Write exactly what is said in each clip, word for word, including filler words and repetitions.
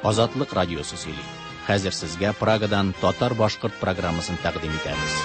Азатлык радиосы сөйли. Хәзер сезгә Прагадан татар-башкорт программасын тәкъдим итәбез.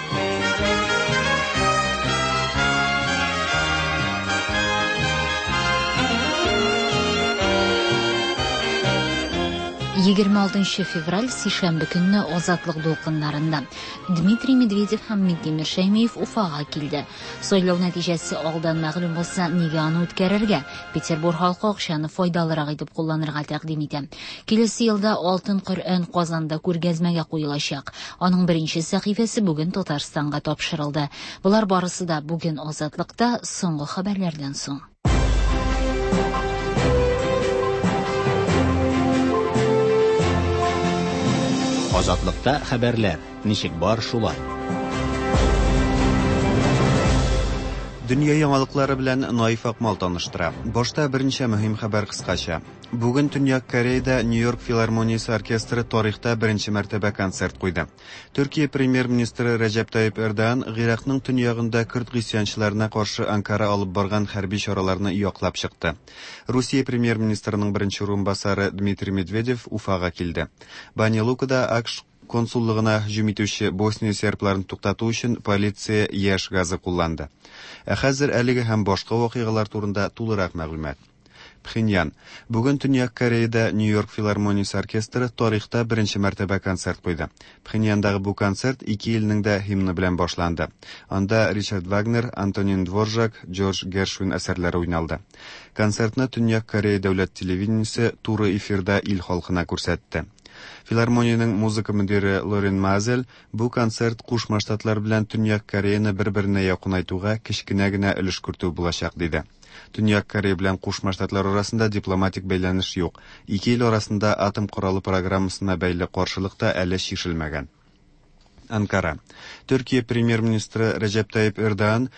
Егерме алтынчы февраль сишәмбе көнне Азатлык дулкыннарында Дмитрий Медведев һәм Минтимер Шәймиев Уфага килде. Сайлау нәтиҗәсе алдан мәгълүм булса, нигә аны үткәрергә? Петербург халкы акчаны файдалырак итеп кулланырга тәкъдим итә. Киләсе елда Алтын Коръән Казанда күргәзмәгә куелачак. Аның беренче сәхифәсе бүген Татарстанга тапшырылды. Болар барысы да бүген Азатлыкта соңгы хәбәрләрдән соң. Азатлыкта хәбәрләр ничек бар шулай. Дөнья яңалыклары белән Наиф Акмал таныштыра. Башта берничә мөһим хәбәр кыскача. Бүген Төньяк Кореяда Нью-Йорк филармониясе оркестры тарихта беренче мәртәбә концерт куйды. Төркия премьер-министры Рәҗәп Тайип Эрдоган Гыйракның төньягында көрд гыйсьянчыларына каршы Анкара алып барган хәрби чараларны яклап чыкты. Русия премьер-министрының беренче урынбасары Дмитрий Медведев Уфага килде. Баня-Лукада АКШ консуллыгына һөҗүм итүче Босния сербларын туктату өчен полиция яшь газы кулланды. Ә хәзер әлеге һәм башка вакыйгалар турында тулырак мәгълүмат. Пхеньян. Бүген Төньяк Кореяда Нью-Йорк филармониясе оркестры тарихта беренче мәртәбә концерт куйды. Пхеньяндагы бу концерт ике илнең дә һимны белән башланды. Анда Ричард Вагнер, Антонин Дворжак, Джордж Гершвин әсәрләре уйналды. Концертны Төньяк Корея дәүләт телевидениесе туры эфирда ил халкына күрсәтте. Филармониянең музыка мөдире Лорен Мазель бу концерт Кушма Штатлар белән Төньяк Кореяны бер-беренә якынайтуга кечкенә генә өлеш кертү булачак диде. Төньяк Корея белән Кушма Штатлар арасында дипломатик бәйләнеш юк. Ике ил арасында атом коралы программасына бәйле каршылык та әле чишелмәгән. Анкара. Төркия премьер-министры Рәҗәп Тайип Эрдоган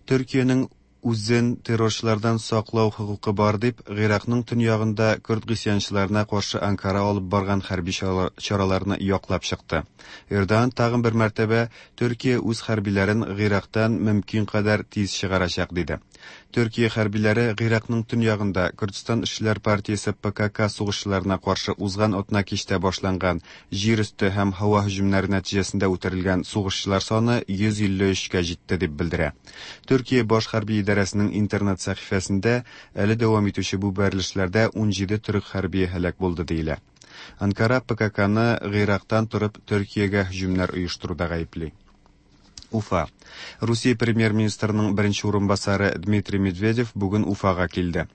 Төркиянең үзен террорчылардан саклау хокукы бар дип, Гыйракның төньягында көрд гыйсьянчыларына каршы Анкара алып барган хәрби чараларны яклап чыкты. Эрдоган тагын бер мәртәбә Төркия үз хәрбиләрен Гыйрактан мөмкин кадәр тиз чыгарачак диде. Төркия хәрбиләре Гыйракның төньягында Күрдстан эшчеләр партиясе П К К сугышчыларына каршы узган атна кичтә башланган җир өсте һәм һава һөҗүмнәре нәтиҗәсендә үтерелгән сугышчылар саны йөз илле өчкә җитте дип белдерә. Төркия баш хәрби идарәсенең интернет сәхифәсендә әле дәвам итүче бу бәрелешләрдә ун җиде төрек хәрбие һәлак булды диелә. Анкара П К К-ны Гыйрактан торып Төркиягә һөҗүмнәр оештыруда гаепли. Уфа. Русия премьер-министрының беренче урынбасары Дмитрий Медведев бүген Уфага килде.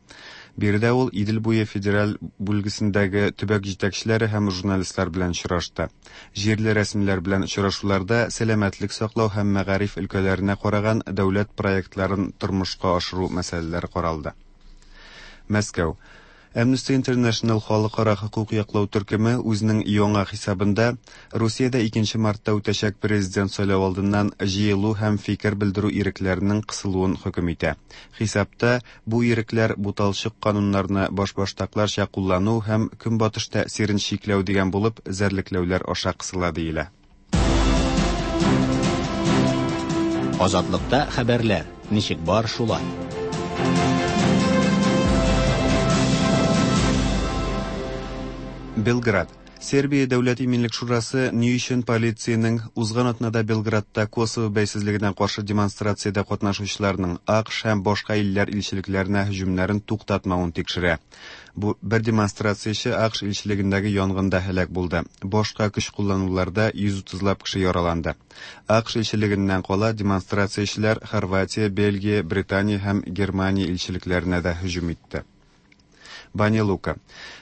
Биредә ул Идел буе федераль бүлгесендәге төбәк җитәкчеләре һәм журналистлар белән очрашты. Җирле рәсмиләр белән очрашуларда сәламәтлек саклау һәм мәгариф өлкәләренә караган дәүләт проектларын тормышка ашыру мәсьәләләре каралды. Мәскәү. Amnesty International халыкара хокук яклау төркеме үзенең яңа хисабында Русиядә икенче мартта үтәчәк президент сайлау алдыннан җыелу һәм фикер белдерү ирекләренең кысылуын хөкем итә. Хисапта бу ирекләр буталчык кануннарны башбаштакларча куллану һәм көнбатыш тәэсирен чикләү дигән булып эзәрлекләүләр аша кысыла диелә. Азатлыкта хәбәрләр ничек бар шулай. Белград. Сербия Дәүләт иминлек шурасы ни өчен полициянең узган атнада Белградта Косово бәйсезлегенә каршы демонстрациядә катнашучыларның АКШ һәм башка илләр илчелекләренә һөҗүмнәрен туктатмавын тикшерә. Бу бер демонстрацияче АКШ илчелегендәге янгында һәлак булды. Башка көч куллануларда йөз утызлап кеше яраланды. АКШ илчелегеннән кала демонстрациячеләр Хорватия, Бельгия, Британия һәм Германия илчелекләренә дә һөҗүм итте. Баня-Лука.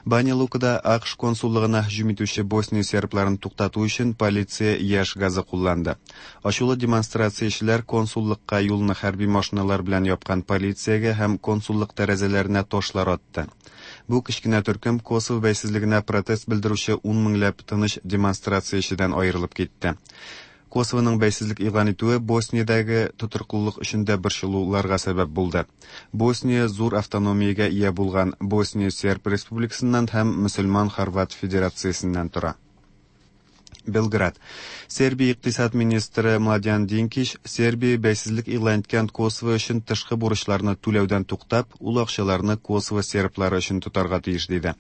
Баня-Лукада АКШ консуллыгына һөҗүм итүче Босния сербларын туктату өчен полиция яшь газы кулланды. Ачулы демонстрациячеләр консуллыкка юлны хәрби машиналар белән япкан полициягә һәм консуллык тәрәзәләренә ташлар атты. Бу кечкенә төркем Косово бәйсезлегенә протест белдерүче ун меңләп тыныч демонстрациячедән аерылып китте. Косовоның бәйсезлек игълан итүе Босниядәге тотрыклылык өчен дә борчылуларга сәбәп булды. Босния зур автономиягә ия булган Босния Серб Республикасыннан һәм Мөселман Хорват Федерациясеннән тора. Белград. Сербия икътисад министры Младян Динкич Сербия бәйсезлек игълан иткән Косово өчен тышкы бурычларны түләүдән туктап, ул акчаларны Косово серблары өчен тотарга тиеш диде.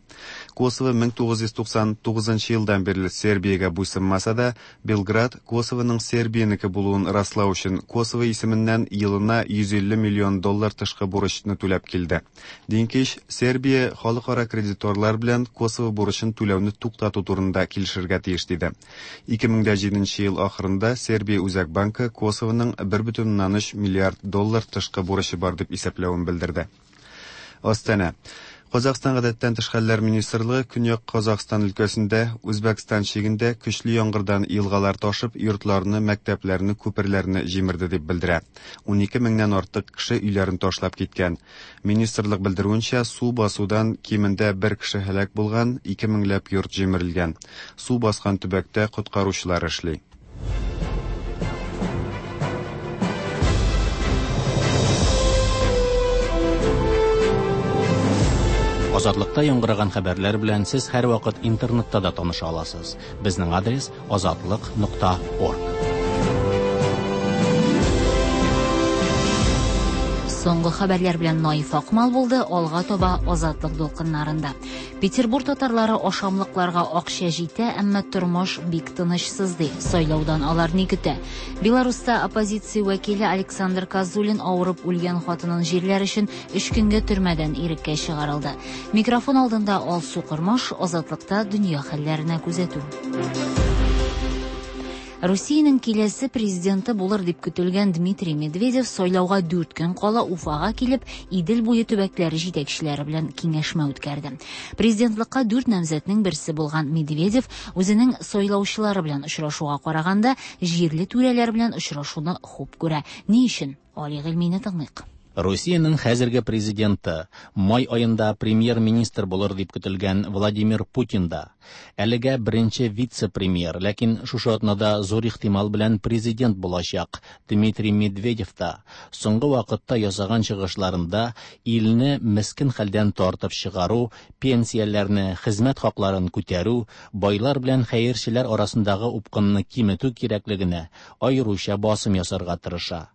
Косово мең тугыз йөз туксан тугызынчы елдан бирле Сербиягә буйсынмаса да, Белград Косовоның Сербиянеке булуын раслау өчен Косово исеменнән елына йөз илле миллион доллар тышкы бурычны түләп килде. Динкич Сербия халыкара кредиторлар белән Косово бурычын түләүне туктату турында килешергә тиеш диде. Ике мең дә җиденче ел ахырында Сербия Үзәк банкы Косовоның бер бөтен уннан өч миллиард доллар тышкы бурычы бар дип исәпләвен белдерде. Астана. Казахстан гадәттән тыш хәлләр министрлыгы Көньяк Казахстан өлкәсендә Үзбәкстан чигендә көчле яңгырдан елгалар ташып, йортларны, мәктәпләрне, күперләрне җимерде дип белдерә. Унике меңнән артык кеше өйләрен ташлап киткән. Министрлык белдерүенчә, су басудан кимендә бер кеше һәлак булган, ике меңләп йорт җимерелгән. Су баскан төбәктә коткаручылар эшли. Азатлыкта яңгыраган хәбәрләр белән сез һәрвакыт интернетта да таныша аласыз. Безнең адрес азатлык нокта орг. Соңгы хәбәрләр белән Наиф Акмал булды, алга таба Азатлык дулкыннарында. Петербург татарлары ашамлыкларга акча җитә, әмма тормыш бик тынычсыз ди. Сайлаудан алар ни көтә? Беларуста оппозиция вәкиле Александр Козулин авырып үлгән хатынын җирләр өчен өч көнгә төрмәдән иреккә чыгарылды. Микрофон алдында Алсу Кормаш, Азатлыкта дөнья хәлләренә күзәтү. Русиянең киләсе президенты булыр дип көтелгән Дмитрий Медведев сайлауга дүрт көн кала Уфага килеп, Идел буе төбәкләре җитәкчеләре белән киңәшмә үткәрде. Президентлыкка дүрт намзәтнең берсе булган Медведев үзенең сайлаучылары белән очрашуга караганда җирле түрәләр белән очрашуны хуп күрә. Ни өчен? Али Гыйльмине тыңлыйк. Русиянең хәзерге президенты, май аенда премьер-министр булыр дип көтелгән Владимир Путин да әлегә беренче вице-премьер, ләкин шушы атнада зур ихтимал белән президент булачак Дмитрий Медведев та соңгы вакытта ясаган чыгышларында илне мескен хәлдән тартып чыгару, пенсияләрне, хезмәт хакларын күтәрү, байлар белән хәерчеләр арасындагы упкынны киметү кирәклегенә аеруча басым ясарга тырыша.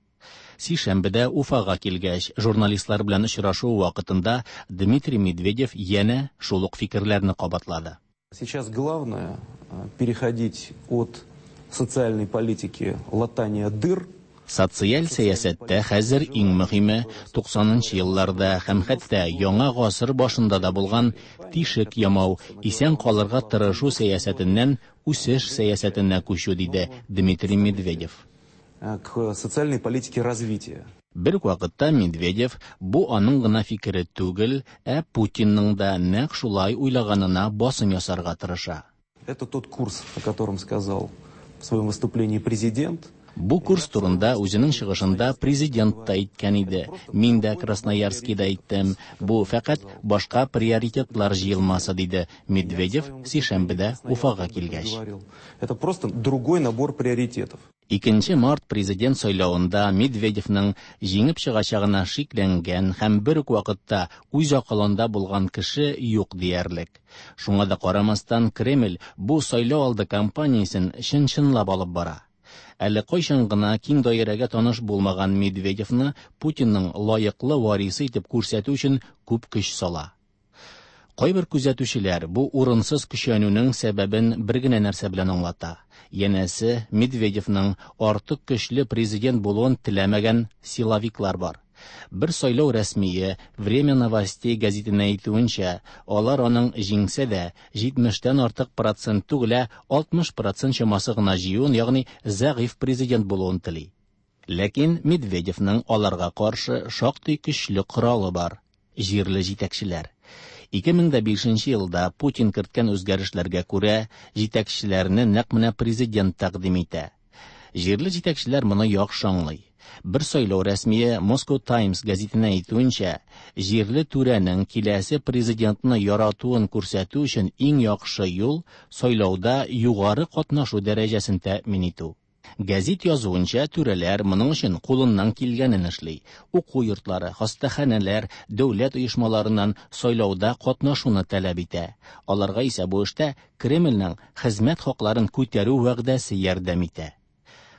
Сишәмбедә Уфага килгәч, журналистлар белән очрашу вакытында Дмитрий Медведев янә шул ук фикерләрне кабатлады. Сейчас главное переходить от социальной политики латания дыр. Социаль сәясәттә хәзер иң мөһиме туксанынчы елларда һәм хәтта яңа гасыр башында да булган тишек ямау, исән калырга тырышу сәясәтеннән үсеш сәясәтенә күчү, диде Дмитрий Медведев. К социальной политике развития. Бер үк вакытта Медведев бу аның гына фикере түгел, ә Путинның да нәкъ шулай уйлаганына басым ясарга тырыша. Это тот курс, о котором сказал в своем выступлении президент. Бу курс турында үзенең чыгышында президент та әйткән иде. Мин дә Красноярскида әйттем. Бу фәкать башка приоритетлар җыелмасы, диде Медведев сишәмбедә Уфага килгәч. Это просто другой набор приоритетов. Икенче март президент сайлавында Медведевның җиңеп чыгачагына шикләнгән һәм бер үк вакытта үз акылында булган кеше юк диярлек. Шуңа да карамастан Кремль бу сайлау алды кампаниясен чын-чынлап алып бара. Әле кайчан гына киң даирәгә таныш булмаган Медведевны Путинның лаеклы варисы итеп күрсәтү өчен күп көч сала. Кайбер күзәтүчеләр бу урынсыз көчәнүнең сәбәбен бер генә нәрсә белән аңлата. Янәсе, Медведевның артык көчле президент булуын теләмәгән силовиклар бар. Бер сайлау рәсмие Время новостей гәзитенә әйтүенчә, алар аның җиңсә дә җитмештән артык процент түгел, ә алтмыш процент чамасы гына җыюын, ягъни зәгыйфь президент булуын тели. Ләкин Медведевның аларга каршы шактый көчле коралы бар – җирле җитәкчеләр. Ике мең дә бишенче елда Путин керткән үзгәрешләргә күрә җитәкчеләрне нәкъ менә президент тәкъдим итә. Җирле җитәкчеләр моны яхшы аңлый. Бер сайлау рәсмие Moscow Times гәзитенә әйтүенчә, җирле түрәнең киләсе президентны яратуын күрсәтү өчен иң яхшы юл сайлауда югары катнашу дәрәҗәсен тәэмин итү. Гәзит язуынча, түрәләр моның өчен кулыннан килгәнен эшли. Уку йортлары, хастаханәләр, дәүләт оешмаларыннан сайлауда катнашуны таләп итә. Аларга исә бу эштә Кремльнең хезмәт хакларын күтәрү вәгъдәсе ярдәм итә.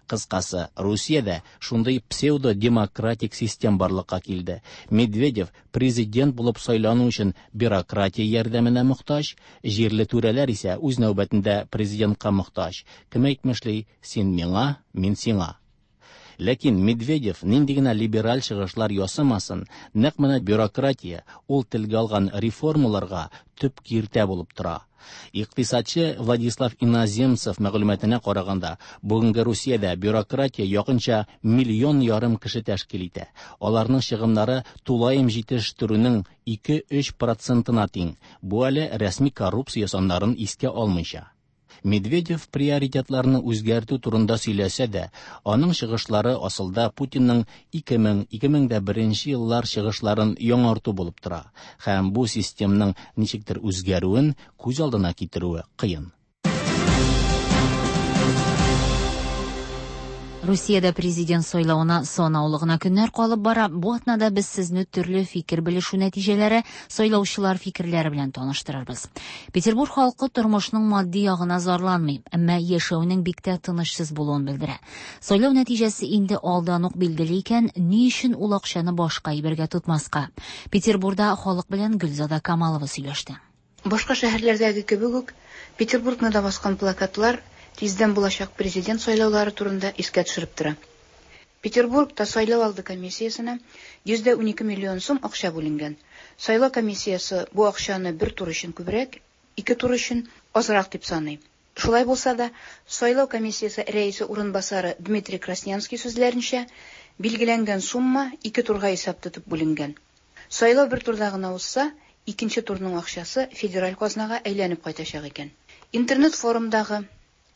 Кыскасы, Русиядә шундый псевдо-демократик систем барлыкка килде. Медведев президент булып сайлану өчен бюрократия ярдәменә мохтаҗ, җирле түрәләр исә үз нәүбәтендә президентка мохтаҗ. Кем әйтмешли, син миңа, мин сиңа. Ләкин Медведев нинди генә либераль чыгышлар ясамасын, нәкъ менә бюрократия ул телгә алган реформаларга төп киртә булып тора. Икътисадчы Владислав Иноземцев мәгълүматына караганда, бүгенге Русиядә бюрократия якынча миллион ярым кеше тәшкил итә. Аларның чыгымнары тулаем җитештерүнең ике-өч процентына тиң. Бу әле рәсми коррупция саннарын искә алмыйча. Медведев приоритетларны үзгәртү турында сөйләсә дә, аның чыгышлары асылда Путинның ике мең, ике мең дә беренче еллар чыгышларын яңарту булып тора. Һәм бу системның ничектер үзгәрүен күз алдына китерүе кыен. Русиядә президент сайлавына санаулы гына көннәр калып бара. Бу атнада без сезне төрле фикер белешү нәтиҗәләре, сайлаучылар фикерләре белән таныштырырбыз. Петербург халкы тормышның матди ягына зарланмый, әмма яшәүнең бик тә тынычсыз булуын белдерә. Сайлау нәтиҗәсе инде алдан ук билгеле икән, ни өчен ул акчаны башка әйбергә тотмаска? Петербургда халык белән Гөлзада Камалова сөйләште. Башка шәһәрләрдәге кебек үк, Петербургны да баскан плакатлар тиздән булачак президент сайлаулары турында искә төшереп тора. Петербургта сайлау алды комиссиясенә йөз дә унике миллион сум акча бүленгән. Сайлау комиссиясе бу акчаны бер тур өчен күбрәк, ике тур өчен азрак дип саный. Шулай булса да, сайлау комиссиясе рәисе урынбасары Дмитрий Краснянский сүзләренчә, билгеләнгән сумма ике турга исәп тотып бүленгән. Сайлау бер турда гына узса, икенче турның акчасы федераль казнага әйләнеп кайтачак икән. Интернет форумдагы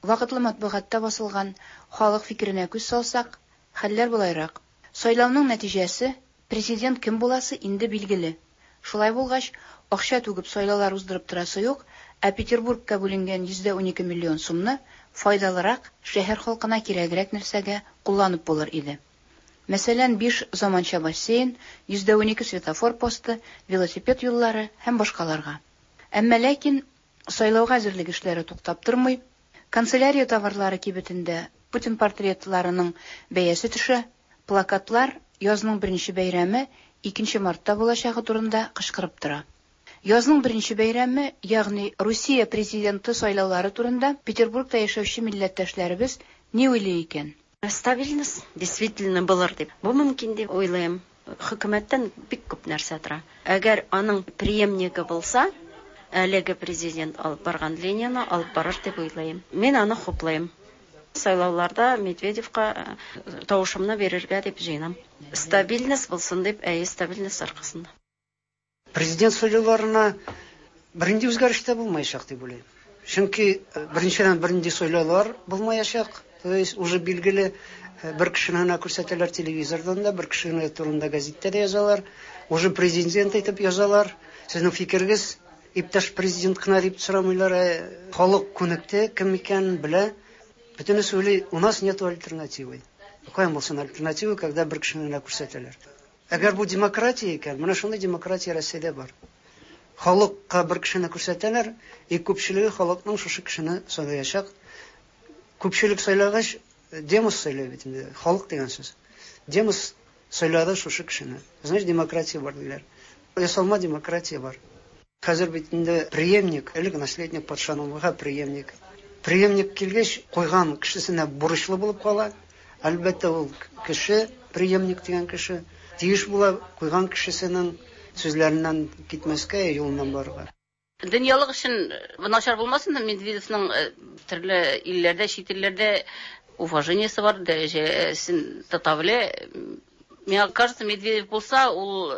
вакытлы матбугатта басылган халык фикеренә күз салсак, хәлләр болайрак. Сайлауның нәтиҗәсе, президент кем буласы инде билгеле. Шулай булгач, акча түгеп сайлаулар уздырып торасы юк, ә Петербургка бүленгән йөз дә унике миллион сумны файдалырак, шәһәр халкына кирәгрәк нәрсәгә кулланып булыр иде. Мәсәлән, биш заманча бассейн, йөз дә унике светофор посты, велосипед юллары һәм башкаларга. Әмма ләкин сайлауга әзерлек эшләре туктап тормый. Канцелярия товарлары кибетендә Путин портретларының бәясе төшә, плакатлар язның беренче бәйрәме икенче мартта булачагы турында кычкырып тора. Язның беренче бәйрәме, ягъни Русия президенты сайлаулары турында Петербургта яшәүче милләттәшләребез ни уйлый икән? Стабильность действительно булыр дип. Бу мөмкин дип уйлыйм. Хөкүмәттән бик күп нәрсә тора. Әгәр аның преемнигы булса, әлеге президент алып барган линияны алып барыр дип уйлыйм. Мин аны хуплыйм. Сайлауларда Медведевка тавышымны бирергә дип җыенам. Стабильность булсын дип, әйе, стабильность аркасында. Президент сайлауларына бернинди үзгәреш тә булмаячак дип уйлыйм. Чөнки беренчедән бернинди сайлаулар булмаячак. То есть уже билгеле бер кешене генә күрсәтәләр телевизордан да, бер кешене турында гәзиттә дә язалар. Уже президент әйтеп язалар. Сезнең фикергез иптәш президент кына дип сорамыйлар. Халык күнекте, кем икәнен белә. Бөтенесе уйлый, у нас нету альтернативы. Каян булсын альтернатива, когда бер кешене генә күрсәтәләр. Әгәр бу демократия икән, менә шундый демократия Россиядә бар. Халыкка бер кешене күрсәтәләр, и күпчелеге халыкның шушы кешене сайлаячак. Күпчелек сайлагач, демос сайлый бит инде, халык дигән сүз. Демос сайлады шушы кешене. Значит, демократия бар диләр. Ясалма демократия бар. Хәзер бит инде преемник, элек наследник патшаның буга преемник. Преемник килгәч, куйган кешесенә бурычлы булып кала. Әлбәттә, ул кеше, преемник дигән кеше, тиеш була куйган кешесенең сүзләреннән китмәскә, юлыннан барырга. Дөньялык өчен начар булмасын, Медведевның төрле илләрдә, чит илләрдә уважениесе бар, дәрәҗәсен тота белә. Миңа кажется, Медведев булса, ул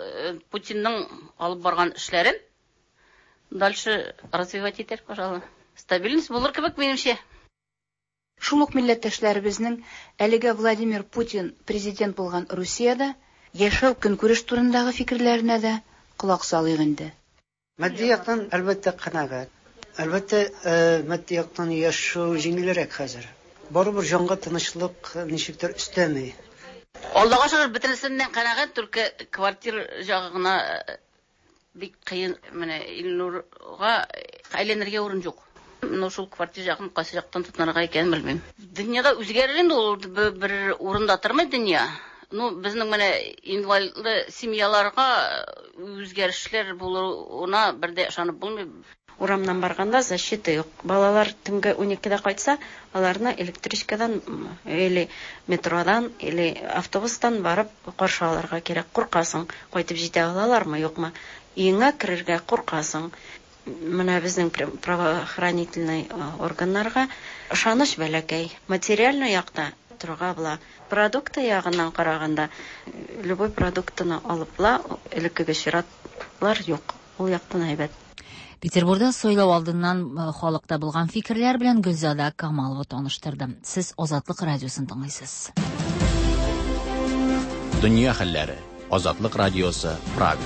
Путинның алып барган эшләрен дальше развивать итәр, пожалуй. Стабильность булыр кебек минемчә. Шул ук милләттәшләребезнең әлегә Владимир Путин президент булган Русиядә яшәү көнкүреш турындагы фикерләренә дә колак салыйк инде. Матди яктан әлбәттә канәгать. Әлбәттә, матди яктан яшәү җиңелрәк хәзер. Барыбер җанга тынычлык ничектер өстәми. Аллага шөкер, бөтенесеннән канәгать, только квартира ягы гына бик кыен. Менә Илнурга әйләнергә урын юк. Менә шул квартира ягын кайсы яктан тотынырга икәнен белмим. Дөньяда үзгәрер инде ул, бер урында тормый дөнья. Ну, безнең менә инвалидлы семьяларга үзгәрешләр булуына бер дә ышанып булмый. Урамнан барганда защита юк. Балалар төнге уникедә кайтса, аларны электричкадан или метродан, или автобустан барып каршы алырга кирәк. Куркасың, кайтып җитә алалармы, юкмы? Өеңә керергә куркасың. Менә безнең правоохранительный органнарга ышаныч бәләкәй. Материальный якта торырга була. Продукты ягыннан караганда, любой продуктыны алып була, элеккеге чиратлар юк. Ул яктан әйбәт. Петербургда сайлау алдыннан халыкта булган фикерләр белән Гөлзада Камалова таныштырды. Сез Азатлык радиосын тыңлыйсыз. Дөнья хәлләре. Азатлык радиосы, Прага.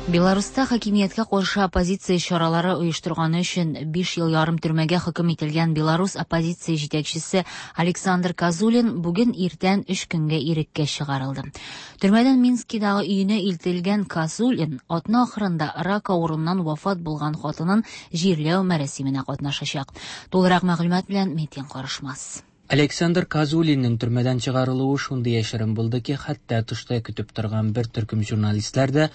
Беларуста хакимияткә каршы оппозиция чаралары оештырганы өчен биш ел ярым төрмәгә хөкем ителгән Беларус оппозиция җитәкчесе Александр Козулин бүген иртән өч көнгә иреккә чыгарылды. Төрмәдән Минскидагы өенә илтелгән Козулин атна ахырында рак авыруыннан вафат булган хатынын җирләү мәрасименә катнашачак. Тулырак мәгълүмат белән Метин Карышмас. Александр Козулинның төрмәдән чыгарылуы шундый яшерен булды ки, хәтта тышта көтеп торган бер төркем журналистлар да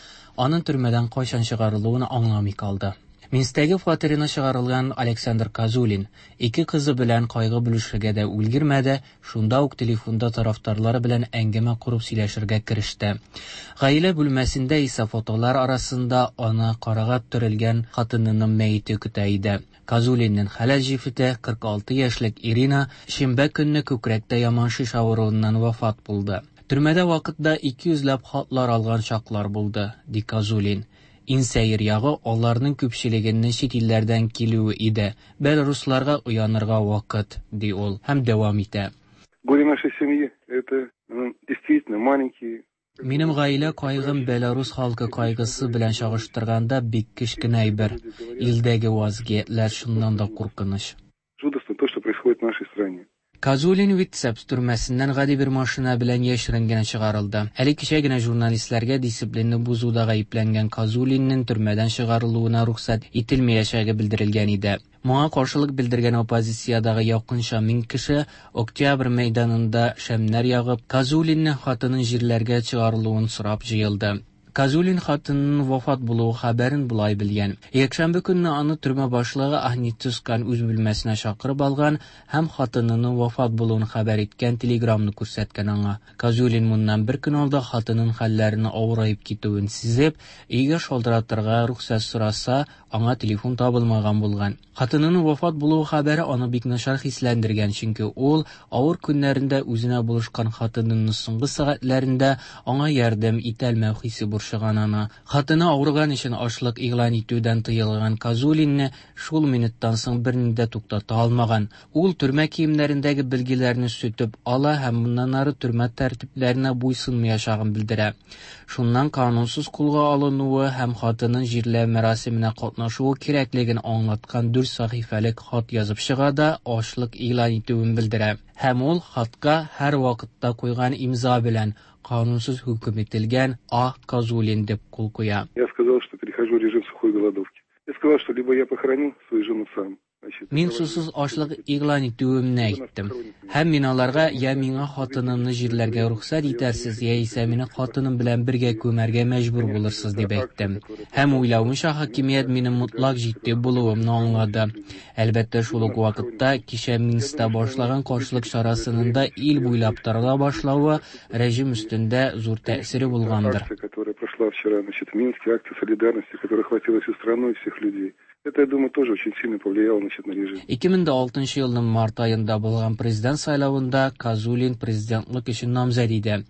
аның төрмәдән кайчан чыгарылуын аңламый калды. Минсктәге фатирына чыгарылган Александр Козулин ике кызы белән кайгы бүлешергә дә өлгермәде, шунда ук телефонда тарафдарлары белән әңгәмә корып сөйләшергә кереште. Гаилә бүлмәсендә исә фотолар арасында аны карага төрелгән хатынының мәете көтә иде. Козулинның хәләл җефете кырык алты яшьлек Ирина шимбә көнне күкрәктә яман шеш авыруыннан вафат булды. Төрмәдә вакытта ике йөзләп хатлар алган чаклар булды, ди Козулин. Иң сәер ягы аларның күпчелегенең чит илләрдән килүе иде. Белорусларга уянырга вакыт, ди ул һәм дәвам итә. Горе нашей семьи это, ну, действительно маленькие. Минем гаилә кайгым Белорус халкы кайгысы белән чагыштырганда бик кечкенә әйбер. Илдәге вазгыятьләр шуннан да куркыныч. Жутко то, что происходит в нашей стране. Козулин Витебск төрмәсеннән гади бер машина белән яшерен генә чыгарылды. Әле кичә генә журналистларга дисциплинны бозуда гаепләнгән Козулинның төрмәдән чыгарылуына рөхсәт ителмәячәге белдерелгән иде. Моңа каршылык белдергән оппозициядагы якынча мең кеше Октябрь мәйданында шәмнәр ягып, Козулинның хатынын җирләргә чыгарылуын сорап җыелды. Козулин хатынының вафат булуы хәбәрен болай белгән. Якшәмбе көнне аны төрмә башлыгы Ахмед Тускан үз бүлмәсенә чакырып алган һәм хатынының вафат булуын хәбәр иткән телеграмны күрсәткән аңа. Козулин моннан бер көн алда хатынының хәлләренең авыраеп китүен сизеп, өйгә шалтыратырга рөхсәт сораса, аңа телефон табылмаган булган. Хатынының вафат булуы хәбәре аны бик начар хисләндергән, чөнки ул авыр көннәрендә үзенә булышкан хатынының соңгы сәгатьләрендә аңа ярдәм итәлмәү хисе борчыган аны. Хатыны авырган өчен ачлык игълан итүдән тыелган Козулинны шул минуттан соң берни дә туктата алмаган. Ул төрмә киемнәрендәге билгеләрне сүтеп ала һәм моннан ары төрмә тәртипләренә буйсынмаячагын белдерә. Шуннан канунсыз кулга алынуы һәм хатынын җирләү мәрасименә катнашуы кирәклеген аңлаткан дүрт сәхифәлек хат язып чыга да ачлык игълан итүен белдерә. Һәм ул хатка һәр вакытта куйган имза белән канунсыз хөкем ителгән А. Козулин дип кул куя. Я сказал, что перехожу в режим сухой голодовки. Я сказал, что либо я похороню свою жену сам. Мин сусыз ачлык игълан итүемне әйттем. Һәм мин аларга я миңа хатынымны җирләргә рөхсәт итәрсез, яисә мине хатыным белән бергә күмәргә мәҗбүр булырсыз дип әйттем. Һәм уйлавымча, хакимият минем мотлак җитди булуымны аңлады. Әлбәттә, шул ук вакытта кичә Минскта башлаган каршылык чарасының да ил буйлап тарала башлавы режим өстендә зур тәэсире булгандыр. Которая прошла вчера, значит, в Минске, акция солидарности, которая охватила всю страну и всех людей. Это, я думаю, тоже очень сильно повлияло, значит, на режим. ике мең дә алтынчы елның март аенда булган президент сайлавында Козулин президентлык өчен намзәт иде.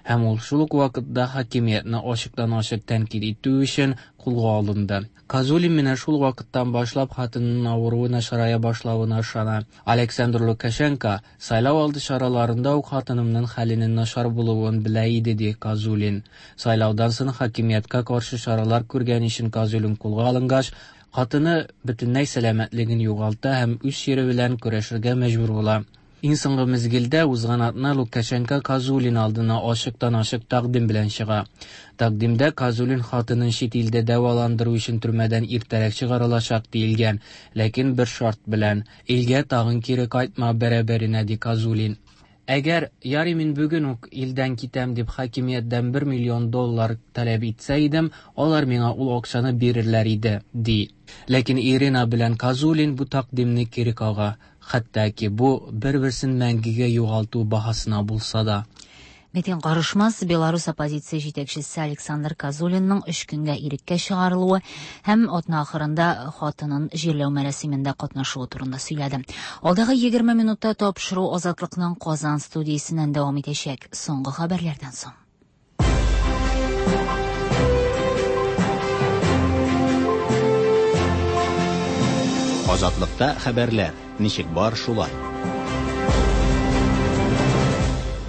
Һәм ул шул ук вакытта хакимиятне ачыктан-ачык тәнкыйть итү өчен кулга алынды. Козулин менә шул вакыттан башлап хатынының авыруы начарая башлавына ышана. Александр Лукашенко сайлау алды чараларында ук хатынымның хәленең начар булуын белә иде, ди Козулин. Сайлаудан соң хакимияткә каршы чаралар күргән өчен Козулин кулга алынгач, Хатыны бөтенләй сәламәтлеген югалта һәм үз чире белән көрәшергә мәҗбүр була. Иң соңгы мизгелдә узган атна Лукашенко Козулин алдына ачыктан-ачык тәкъдим белән чыга. Тәкъдимдә Козулин хатынын чит илдә дәваландыру өчен төрмәдән иртәрәк чыгарылачак диелгән, ләкин бер шарт белән: илгә тагын кире кайтма бәрабәренә, ди Козулин. Әгәр ярый мин бүген үк илдән китәм дип хакимияттән бер миллион доллар таләп итсә идем, алар миңа ул акчаны бирерләр иде, ди. Ләкин Ирина белән Козулин бу тәкъдимне кире кага, хәтта ки бу бер-берсен мәңгегә югалту баһасына булса да. Митинг карышмас Беларус оппозиция җитәкчесе Александр Козулинның өч көнгә иреккә чыгарылуы һәм атна ахырында хатынын җирләү мәрасимендә катнашуы турында сөйләде. Алдагы егерме минутта тапшыру Азатлыкның Казан студиясеннән дәвам итәчәк. Соңгы хәбәрләрдән соң. Азатлыкта хәбәрләр ничек бар шулай.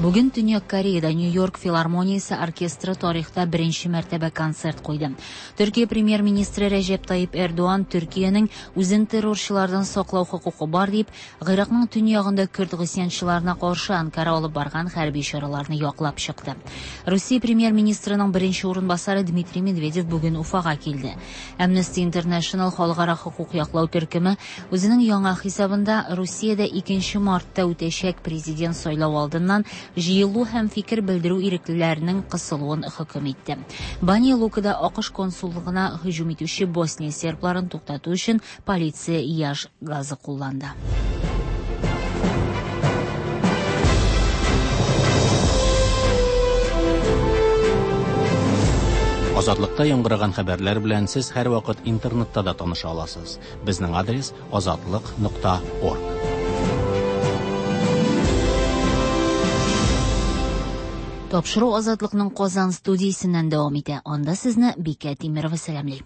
Бүген Төньяк Кореяда Нью-Йорк филармониясе оркестры тарихта беренче мәртәбә концерт куйды. Төркия премьер-министры Рәҗәп Тайип Эрдоган Төркиянең үзен террорчылардан саклау хокукы бар дип, Гыйракның төньягында көрд гыйсьянчыларына каршы Анкара алып барган хәрби чараларны яклап чыкты. Русия премьер-министрының беренче урынбасары Дмитрий Медведев бүген Уфага килде. Amnesty International халыкара хокук яклау төркеме үзенең яңа хисабында Русиядә икенче мартта үтәчәк президент сайлау алдыннан җыелу һәм фикер белдерү иреклеләренең кысылуын хөкем итте. Баня Лукада АКШ консуллыгына һөҗүм итүче Босния сербларын туктату өчен полиция яш газы кулланды. Азатлыкта яңгыраган хәбәрләр белән сез һәрвакыт интернетта да таныша аласыз. Безнең адрес азатлык нокта орг. Тапшыру Азатлыкның Казан студиясеннән дәвам итә. Анда сезне Бикә Тимирова сәламли.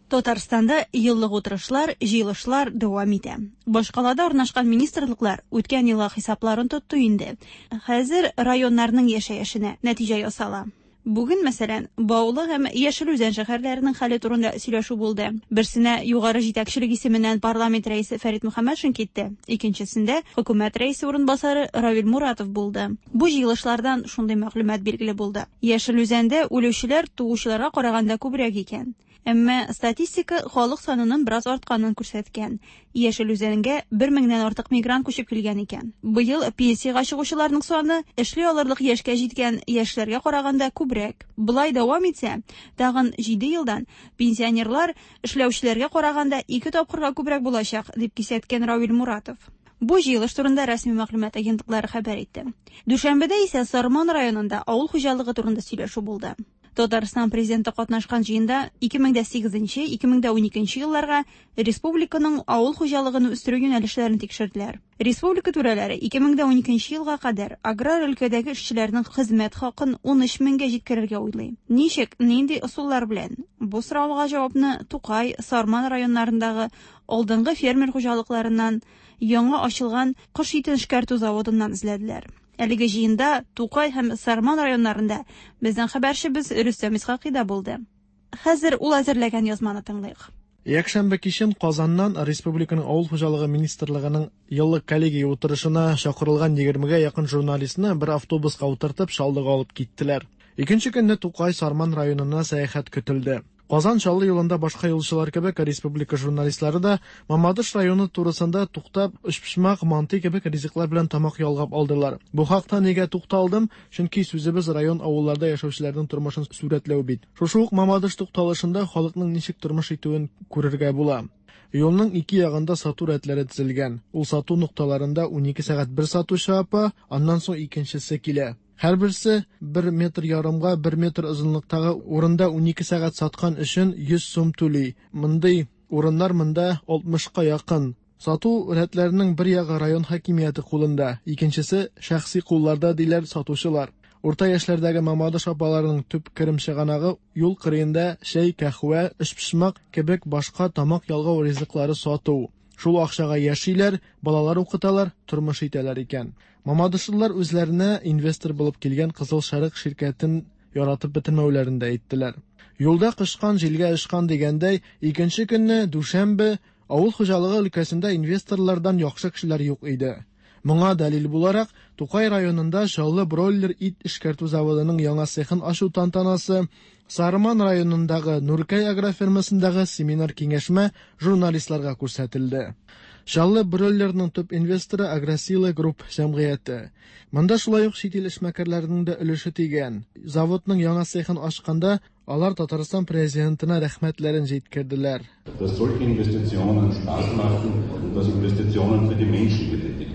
Татарстанда еллык утырышлар, җыелышлар дәвам итә. Башкалада урнашкан министрлыклар үткән елга хисапларын тотты инде. Хәзер районнарның яшәешенә нәтиҗә ясала. Бүген, мәсәлән, Баулы һәм Яшел Үзән шәһәрләренең хәле турында сөйләшү булды. Берсенә югары җитәкчелек исеменнән парламент рәисе Фәрит Мөхәммәтшин китте, икенчесендә хөкүмәт рәисе урынбасары Равил Муратов булды. Бу җыелышлардан шундый мәгълүмат билгеле булды. Яшел Үзәндә үлүчеләр туучыларга караганда күбрәк икән. Әмма статистика халык санының бераз артканын күрсәткән. Яшел Үзәнгә бер меңнән артык мигрант күчеп килгән икән. Быел пенсиягә чыгучыларның саны эшли алырлык яшькә җиткән яшьләргә караганда күбрәк. Болай дәвам итсә, тагын җиде елдан пенсионерлар эшләүчеләргә караганда ике тапкырга күбрәк булачак, дип кисәткән Равил Муратов. Бу җыелыш турында рәсми мәгълүмат агентлыклары хәбәр итте. Дүшәмбедә исә Сарман районында авыл хуҗалыгы турында сөйләшү булды. Татарстан президенты катнашкан җыенда ике мең дә сигезенче, ике мең дә уникенче елларга республиканың авыл хуҗалыгын үстерү юнәлешләрен тикшерделәр. Республика түрәләре ике мең дә уникенче елга кадәр аграр өлкәдәге эшчеләрнең хезмәт хакын ун өч меңгә җиткерергә уйлый. Ничек, нинди ысуллар белән? Бу сорауга җавапны Тукай, Сарман районнарындагы алдынгы фермер хуҗалыкларыннан, яңа ачылган кош итен эшкәртү заводыннан эзләделәр. Әлеге җыенда Тукай һәм Сарман районнарында безнең хәбәрчебез Рөстәм Исхакый да булды. Хәзер ул әзерләгән язманы тыңлыйк. Якшәмбе кичен Казаннан Республиканың Авыл хуҗалыгы министрлыгының еллык коллегия утырышына чакырылган егермегә якын журналистны бер автобуска утыртып Чаллыга алып киттеләр. Икенче көнне Тукай Сарман районына сәяхәт көтелде. Казан Чаллы юлында башка юлчылар кебек республика журналистлары да Мамадыш районы турысында туктап, өчпочмак, манты кебек ризыклар белән тамак ялгап алдылар. Бу хакта нигә тукталдым? Чөнки сүзебез район авылларда яшәүчеләрнең тормышын сурәтләү бит. Шушы ук Мамадыш тукталышында халыкның ничек тормыш итүен күрергә була. Юлның ике ягында сату рәтләре төзелгән. Ул сату нокталарында унике сәгать бер сатучы апа, аннан соң икенчесе килә. Һәрберсе бер метр ярымга бер метр озынлыктагы урында унике сәгать саткан өчен йөз сум түли. Мондый урыннар монда алтмышка якын. Сату рәтләренең бер ягы район хакимияте кулында, икенчесе шәхси кулларда, диләр сатучылар. Урта яшьләрдәге Мамадыш апаларының төп керем чыганагы юл кырыенда чәй, кәһвә, өчпочмак кебек башка тамак ялгау ризыклары сату. Шул акчага яшиләр, балалар укыталар, тормыш итәләр икән. Мамадышлылар үзләренә инвестор булып килгән Кызыл Шәрык ширкәтен яратып бетермәүләрен дә әйттеләр. Юлда кычкан җилгә очкан дигәндәй, икенче көнне, дүшәмбе, авыл хуҗалыгы өлкәсендә инвесторлардан яхшы кешеләр юк иде. Моңа дәлил буларак, Тукай районында Чаллы бройлер ит эшкәртү заводының яңа цехын ачу тантанасы, Сарман районындагы Нуркәй агрофирмасындагы семинар-киңәшмә журналистларга күрсәтелде. Чаллы бройлерның төп инвесторы Агросила Групп җәмгыяте. Монда шулай ук чит ил эшмәкәрләренең дә өлеше тигән. Заводның яңа цехын ачканда алар Татарстан Президентына рәхмәтләрен җиткерделәр. Dass solche Investitionen Spaß machen und dass Investitionen für die Menschen getätigt.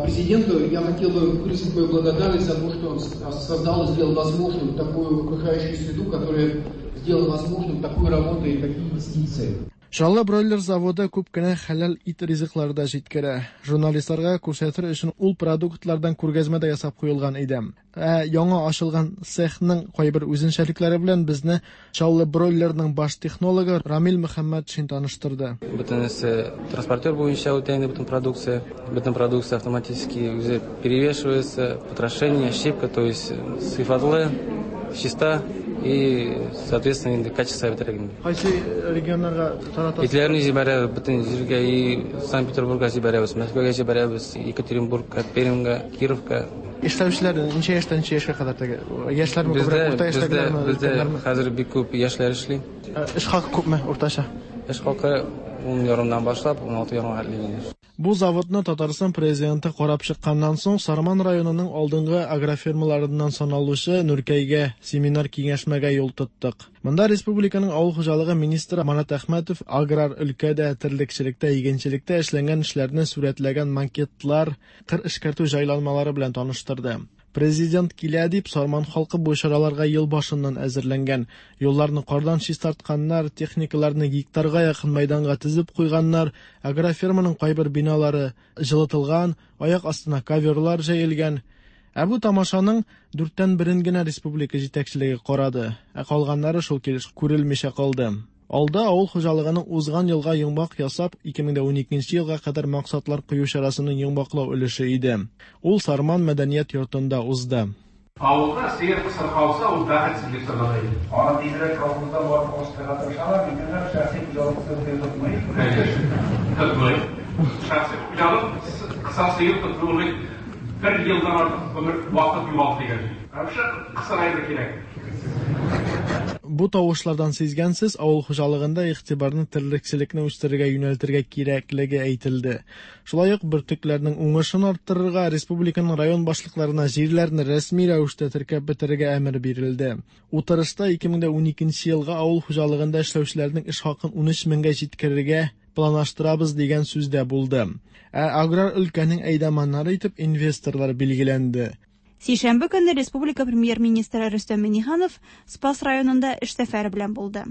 Президенту я хотел бы выразить мою благодарность за то, что он создал и сделал возможным такую окружающую среду, которая сделала возможным такую работу и такие инвестиции. Чаллы бройлер заводы күп кенә хәләл ит ризыклары да җиткерә. Журналистларга күрсәтер өчен ул продуктлардан күргәзмә дә ясап куелган иде. Ә яңа ачылган цехның кайбер үзенчәлекләре белән безне Чаллы бройлерның баш технологы Рамил Мөхәммәтшин таныштырды. Бөтенесе транспортер буенча үтә инде бөтен продукция. Бөтен продукция автоматически үзе перевешивается, потрошение, щипка, то есть сыйфатлы, чиста и, соответственно, инде качество бетерә инде. Кайсы регионнарга таратасыз? Итләрне җибәрәбез бөтен җиргә, и Санкт-Петербургка җибәрәбез, Мәскәүгә җибәрәбез, Екатеринбургка, Пермьгә, Кировка. Эшләүчеләр ничә яшьтән ничә яшькә кадәр теге? Яшьләрме күбрәк, урта яшьтәгеләрме? Бездә хәзер бик күп яшьләр эшли. Эш хакы күпме уртача? Эш хакы ун ярымнан башлап ун алты ярымга хәтле. Бу заводны Татарстан президенты карап чыкканнан соң Сарман районының алдынгы агрофирмаларыннан саналучы Нуркәйгә семинар киңәшмәгә юл тоттык. Монда республиканың авыл хуҗалыгы министры Марат Әхмәтов аграр өлкәдә, терлекчелектә, игенчелектә эшләнгән эшләрне сурәтләгән макетлар, кыр эшкәртү җайланмалары белән таныштырды. Президент килә дип Сарман халкы бу чараларга ел башыннан әзерләнгән. Юлларны кардан чистартканнар, техникаларны гектарга якын мәйданга тезеп куйганнар, агрофирманың кайбер биналары җылытылган, аяк астына коверлар җәелгән. Ә бу тамашаның дүрттән берен генә республика җитәкчелеге карады, ә калганнары шул килеш күрелмичә калды. Алда авыл хуҗалыгының узган елга йомгак ясап, ике мең уникенче елга кадәр максатлар кую чарасының йомгаклау өлеше иде. Ул Сарман мәдәният йортында узды. Авылда сыер кысыр калса, ул бәхетсезлек санала иде. Аны тизрәк колхозда барып алыштырырга тырышалар, ләкин шәхси хуҗалык тотмый. Тотмый. Шәхси хуҗалык кыса сыер тотуны бер елдан артык гомер вакыт югалты дигән. Вообще кысыр әйбер кирәк. Бу тавышлардан сизгәнсез, авыл хуҗалыгында игътибарны терлекчелекне үстерергә юнәлтергә кирәклеге әйтелде. Шулай ук бөртекләрнең уңышын арттырырга, республиканың район башлыкларына җирләрне рәсми рәвештә теркәп бетерергә әмер бирелде. Утырышта ике мең уникенче елга авыл хуҗалыгында эшләүчеләрнең эш хакын ун өч меңгә җиткерергә планлаштырабыз дигән сүз дә булды. Ә аграр өлкәнең әйдаманнары итеп инвесторлар билгеләнде. Сишәмбе көнне республика премьер-министры Рөстәм Миңнеханов Спас районында эш сәфәре белән булды.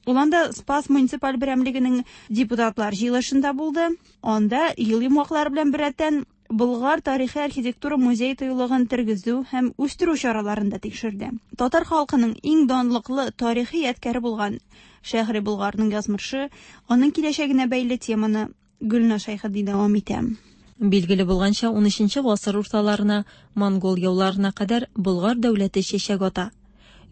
Ул анда Спас муниципаль берәмлегенең депутатлар җыелышында булды. Анда ел йомгаклары белән беррәттән Болгар тарихи архитектура музей тыюлыгын тергезү һәм үстерү чараларын да тикшерде. Татар халкының иң данлыклы тарихи ядкәре булган Шәһри Болгарның язмышы, аның киләчәгенә бәйле теманы Гөлназ Шәйхетдин дәвам итә. Билгеле булганча, унөченче гасыр урталарына, монгол яуларына кадәр Болгар дәүләте чәчәк ата.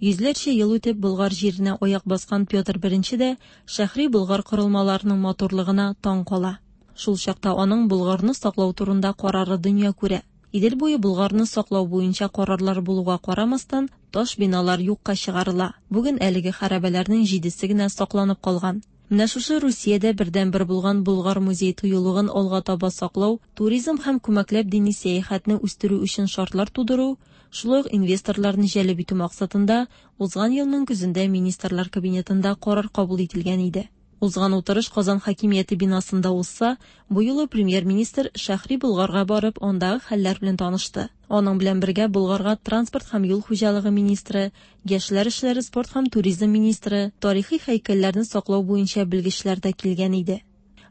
Йөзләрчә ел үтеп Болгар җиренә аяк баскан Петр Беренче дә Шәһри Болгар корылмаларының матурлыгына таң кала. Шул чакта аның Болгарны саклау турында карары дөнья күрә. Идел буе Болгарны саклау буенча карарлар булуга карамастан, таш биналар юкка чыгарыла. Бүген әлеге хәрабәләрнең җидесе генә сакланып калган. Менә шушы Русиядә бердәнбер булган Болгар музей тыюлыгын алга таба саклау, туризм һәм күмәкләп дини сәяхәтне үстерү өчен шартлар тудыру, шулай ук инвесторларны җәлеп итү максатында узган елның көзендә Министрлар Кабинетында карар кабул ителгән иде. Узган утырыш Казан хакимияте бинасында узса, бу юлы премьер-министр Шәһри Болгарга барып, андагы хәлләр белән танышты. Аның белән бергә Болгарга транспорт һәм юл хуҗалыгы министры, яшьләр эшләре, спорт һәм туризм министры, тарихи һәйкәлләрне саклау буенча белгечләр дә килгән иде.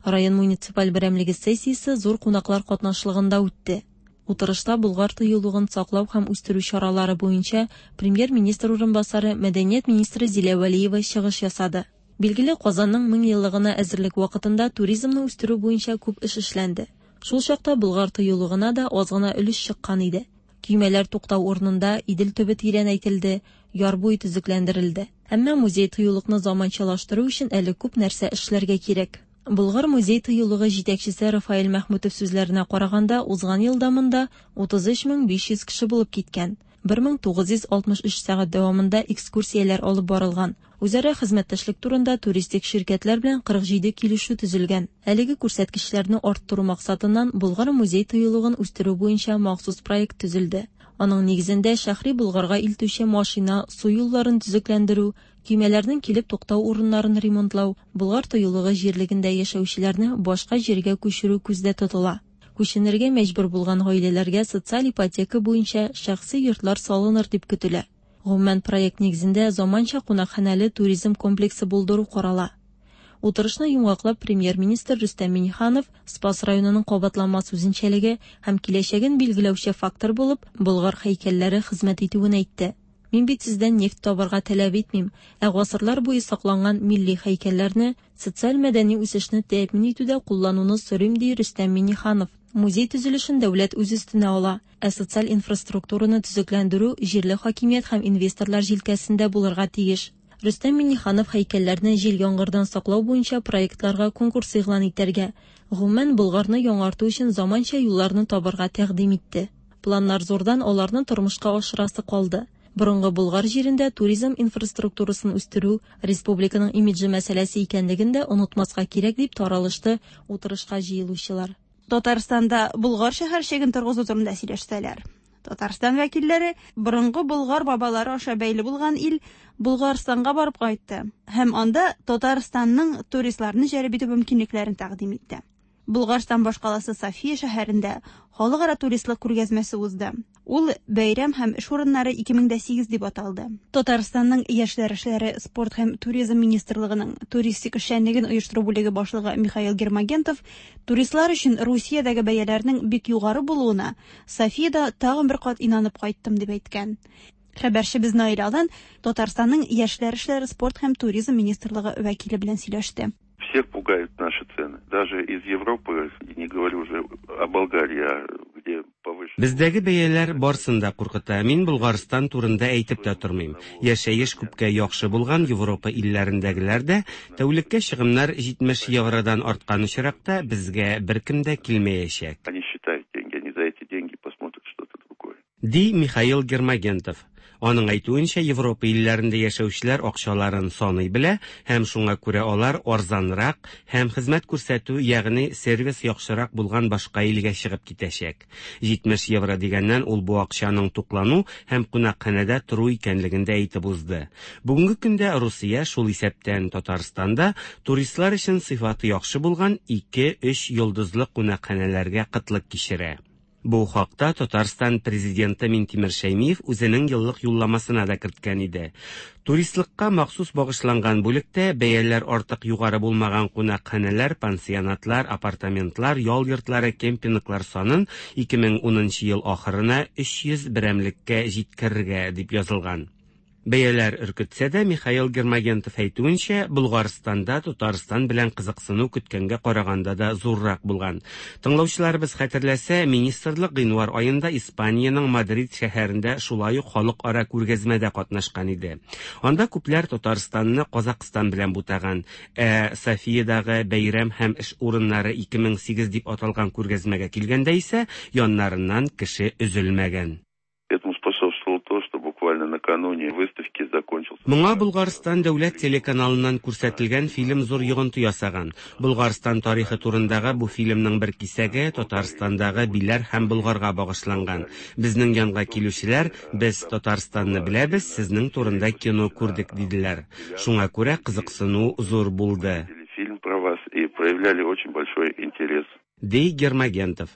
Район муниципаль берәмлеге сессиясе зур кунаклар катнашлыгында үтте. Утырышта Болгар тыюлыгын саклау һәм үстерү чаралары буенча премьер-министр урынбасары, мәдәният министры Зилә Вәлиева чыгыш ясады. Билгеле, Казанның мең еллыгына әзерлек вакытында туризмны үстерү буенча күп эш эшләнде. Шул чакта Болгар тыюлыгына да аз гына өлеш чыккан иде. Көймәләр туктау урынында Идел төбе тирәнәйтелде, яр буе төзекләндерелде. Әмма музей-тыюлыкны заманчалаштыру өчен әле күп нәрсә эшләргә кирәк. Болгар музей-тыюлыгы җитәкчесе Рафаэль Мәхмүтов сүзләренә караганда, узган елда монда утыз өч мең биш йөз кеше булып киткән. бер мең тугыз йөз алтмыш өч сәгать дәвамында экскурсияләр алып барылган. Үзара хезмәттәшлек турында туристик ширкәтләр белән кырык җиде килешү төзелгән. Әлеге күрсәткечләрне арттыру максатыннан Болгар музей-тыюлыгын үстерү буенча махсус проект төзелде. Аның нигезендә Шәһри Болгарга илтүче машина, су юлларын төзекләндерү, көймәләрнең килеп туктау урыннарын ремонтлау, Болгар тыюлыгы җирлегендә яшәүчеләрне башка җиргә күчерү күздә тотыла. Күченергә мәҗбүр булган гаиләләргә социаль ипотека буенча шәхси йортлар салыныр дип көтелә. Гомумән, проект нигезендә заманча кунакханәле туризм комплексы булдыру карала. Утырышны йомгаклап премьер-министр Рөстәм Миңнеханов Спас районының кабатланмас үзенчәлеге һәм киләчәген билгеләүче фактор булып Болгар һәйкәлләре хезмәт итүен әйтте. Мин бит сездән нефть табарга таләп итмим, ә гасырлар буе сакланган милли һәйкәлләрне социаль-мәдәни үсешне тәэмин итүдә куллануны сорыйм, ди Рөстәм Миңнеханов. Музей төзелешен дәүләт үз өстенә ала, ә социаль инфраструктураны төзекләндерү җирле хакимият һәм инвесторлар җилкәсендә булырга тиеш. Рөстәм Миңнеханов һәйкәлләрне җил-яңгырдан саклау буенча проектларга конкурс игълан итәргә, гомумән Болгарны яңарту өчен заманча юлларны табарга тәкъдим итте. Планнар зурдан, аларны тормышка ашырасы калды. Борынгы Болгар җирендә туризм инфраструктурасын үстерү республиканың имиджы мәсьәләсе икәнлеген дә онытмаска кирәк дип таралышты утырышка җыелучылар. Татарстанда Болгар шәһәрчеген торгызу турында сөйләштеләр. Татарстан вәкилләре борынгы Болгар бабалары аша бәйле булган ил Болгарстанга барып кайтты һәм анда Татарстанның туристларны җәлеп итү мөмкинлекләрен тәкъдим итте. Болгарстан башкаласы София шәһәрендә халыкара туристлык күргәзмәсе узды. Ул бәйрәм һәм эш урыннары ике мең дә сигез дип аталды. Татарстанның яшьләр эшләре, спорт һәм туризм министрлыгының туристик эшчәнлеген оештыру бүлеге башлыгы Михаил Гермогентов туристлар өчен Русиядәге бәяләрнең бик югары булуына Софияда тагын бер кат инанып кайттым дип әйткән. Хәбәрчебез Наил Алдан Татарстанның яшьләр эшләре, спорт һәм туризм министрлыгы вәкиле белән сөйләште. Всех пугают наши цены. Даже из Европы, не говорю уже о Болгарии, где повыше. Бездәге бәяләр барсын да куркыта. Мин Болгарстан турында әйтеп тә тормыйм. Яшәеш күпкә яхшы булган Европа илләрендәгеләр дә тәүлеккә чыгымнар җитмеш евродан арткан очракта безгә беркем дә килмәячәк. Они считают деньги, они за эти деньги посмотрят что-то другое. Ди Михаил Гермогентов. Аның әйтүенчә, Европа илләрендә яшәүчеләр акчаларын саный белә һәм шуңа күрә алар арзанрак һәм хезмәт күрсәтү, ягъни сервис яхшырак булган башка илгә чыгып китәчәк. җитмеш евро дигәннән ул бу акчаның туклану һәм кунакханәдә тору икәнлеген дә әйтеп узды. Бүгенге көндә Русия, шул исәптән Татарстанда, туристлар өчен сыйфаты яхшы булган ике-өч йолдызлы кунакханәләргә кытлык кичерә. Бу хакта Татарстан президенты Минтимер Шәймиев үзенең еллык юлламасына да керткән иде. Туристлыкка махсус багышланган бүлектә бәяләр артык югары булмаган кунакханәләр, пансионатлар, апартаментлар, ял йортлары, кемпинглар санын ике мең унынчы ел ахырына өч йөз берәмлеккә җиткерергә дип язылган. Бәяләр өркетсә дә, Михаил Гермогентов әйтүенчә, Болгарстанда Татарстан белән кызыксыну көткәнгә караганда да зуррак булган. Тыңлаучыларыбыз хәтерләсә, министрлык гыйнвар аенда Испаниянең Мадрид шәһәрендә шулай ук халыкара күргәзмәдә катнашкан иде. Анда күпләр Татарстанны Казакъстан белән бутаган, ә Софиядагы бәйрәм һәм эш урыннары ике мең сигез дип аталган күргәзмәгә килгәндә исә яннарыннан кеше өзелмәгән. Этому способствовало то, что буквально накануне выставки закончился. Моңа Болгарстан дәүләт телеканалыннан күрсәтелгән фильм зур йогынты ясаган. Болгарстан тарихы турындагы бу фильмның бер кисәге Татарстандагы Биләр һәм Болгарга багышланган. Безнең янга килүчеләр, без Татарстанны беләбез, сезнең турында кино күрдек, диделәр. Шуңа күрә кызыксыну зур булды. Фильм про вас и проявляли очень большой интерес. Ди Гермогентов.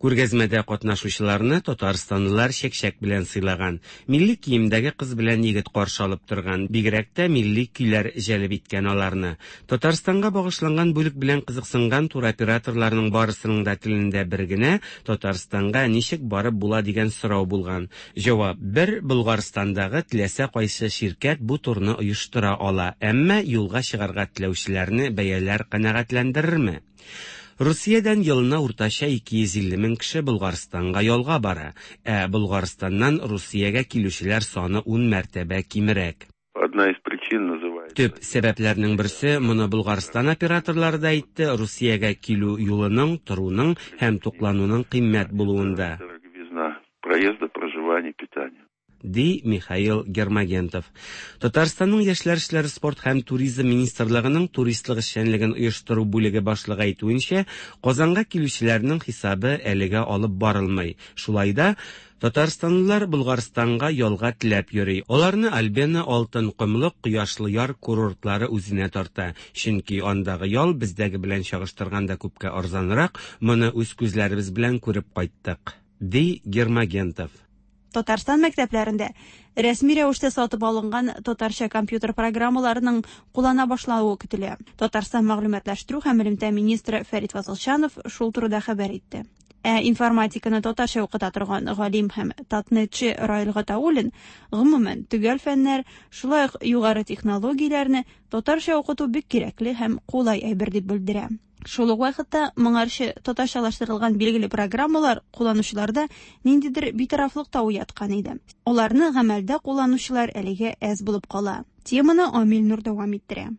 Күргәзмәдә катнашучыларны татарстанлылар чәкчәк белән сыйлаган. Милли киемдәге кыз белән егет каршы алып торган. Бигрәк тә милли көйләр җәлеп иткән аларны. Татарстанга багышланган бүлек белән кызыксынган туроператорларның барысының да телендә бер генә Татарстанга ничек барып була дигән сорау булган. Җавап бер: Болгарстандагы теләсә кайсы ширкәт бу турны оештыра ала, әмма юлга чыгарга теләүчеләрне бәяләр канәгатьләндерерме? Русиядән елына уртача ике йөз илле мең кеше Болгарстанга ялга бара, ә Болгарстаннан Русиягә килүчеләр саны ун мәртәбә кимрәк. Одна из причин называется. Төп сәбәпләрнең берсе, моны Болгарстан операторлары да әйтте, Русиягә килү юлының, торуның һәм туклануның кыйммәт булуында. Дороговизна проезда, проживания, питания. Ди Михаил Гермогентов. Татарстанның яшьләр эшләре, спорт һәм туризм министрлыгының туристлык эшчәнлеген оештыру бүлеге башлыгы әйтүенчә, Казанга килүчеләрнең хисабы әлегә алып барылмый. Шулай да татарстанлылар Болгарстанга ялга теләп йөри. Аларны Альбена, Алтын комлык, Кояшлы яр курортлары үзенә тарта. Чөнки андагы ял бездәге белән чагыштырганда күпкә арзанрак, моны үз күзләребез белән күреп кайттык, ди Гермогентов. Татарстан мәктәпләрендә рәсми рәвештә сатып алынган татарча компьютер программаларының куллана башлавы көтелә. Татарстан мәгълүматлаштыру һәм элемтә министры Фәрит Фазылҗанов шул турыда хәбәр итте. Ә информатиканы татарча укыта торган галим һәм татнетчы Раил Гатауллин гомумән төгәл фәннәр, шулай ук югары технологияләрне татарча укыту бик кирәкле һәм кулай әйбер дип белдерә. Шул ук вакытта моңарчы татарчалаштырылган билгеле программалар кулланучыларда ниндидер битарафлык та уяткан иде. Аларны гамәлдә кулланучылар әлегә әз булып кала. Теманы Амил Нур дәвам иттерә.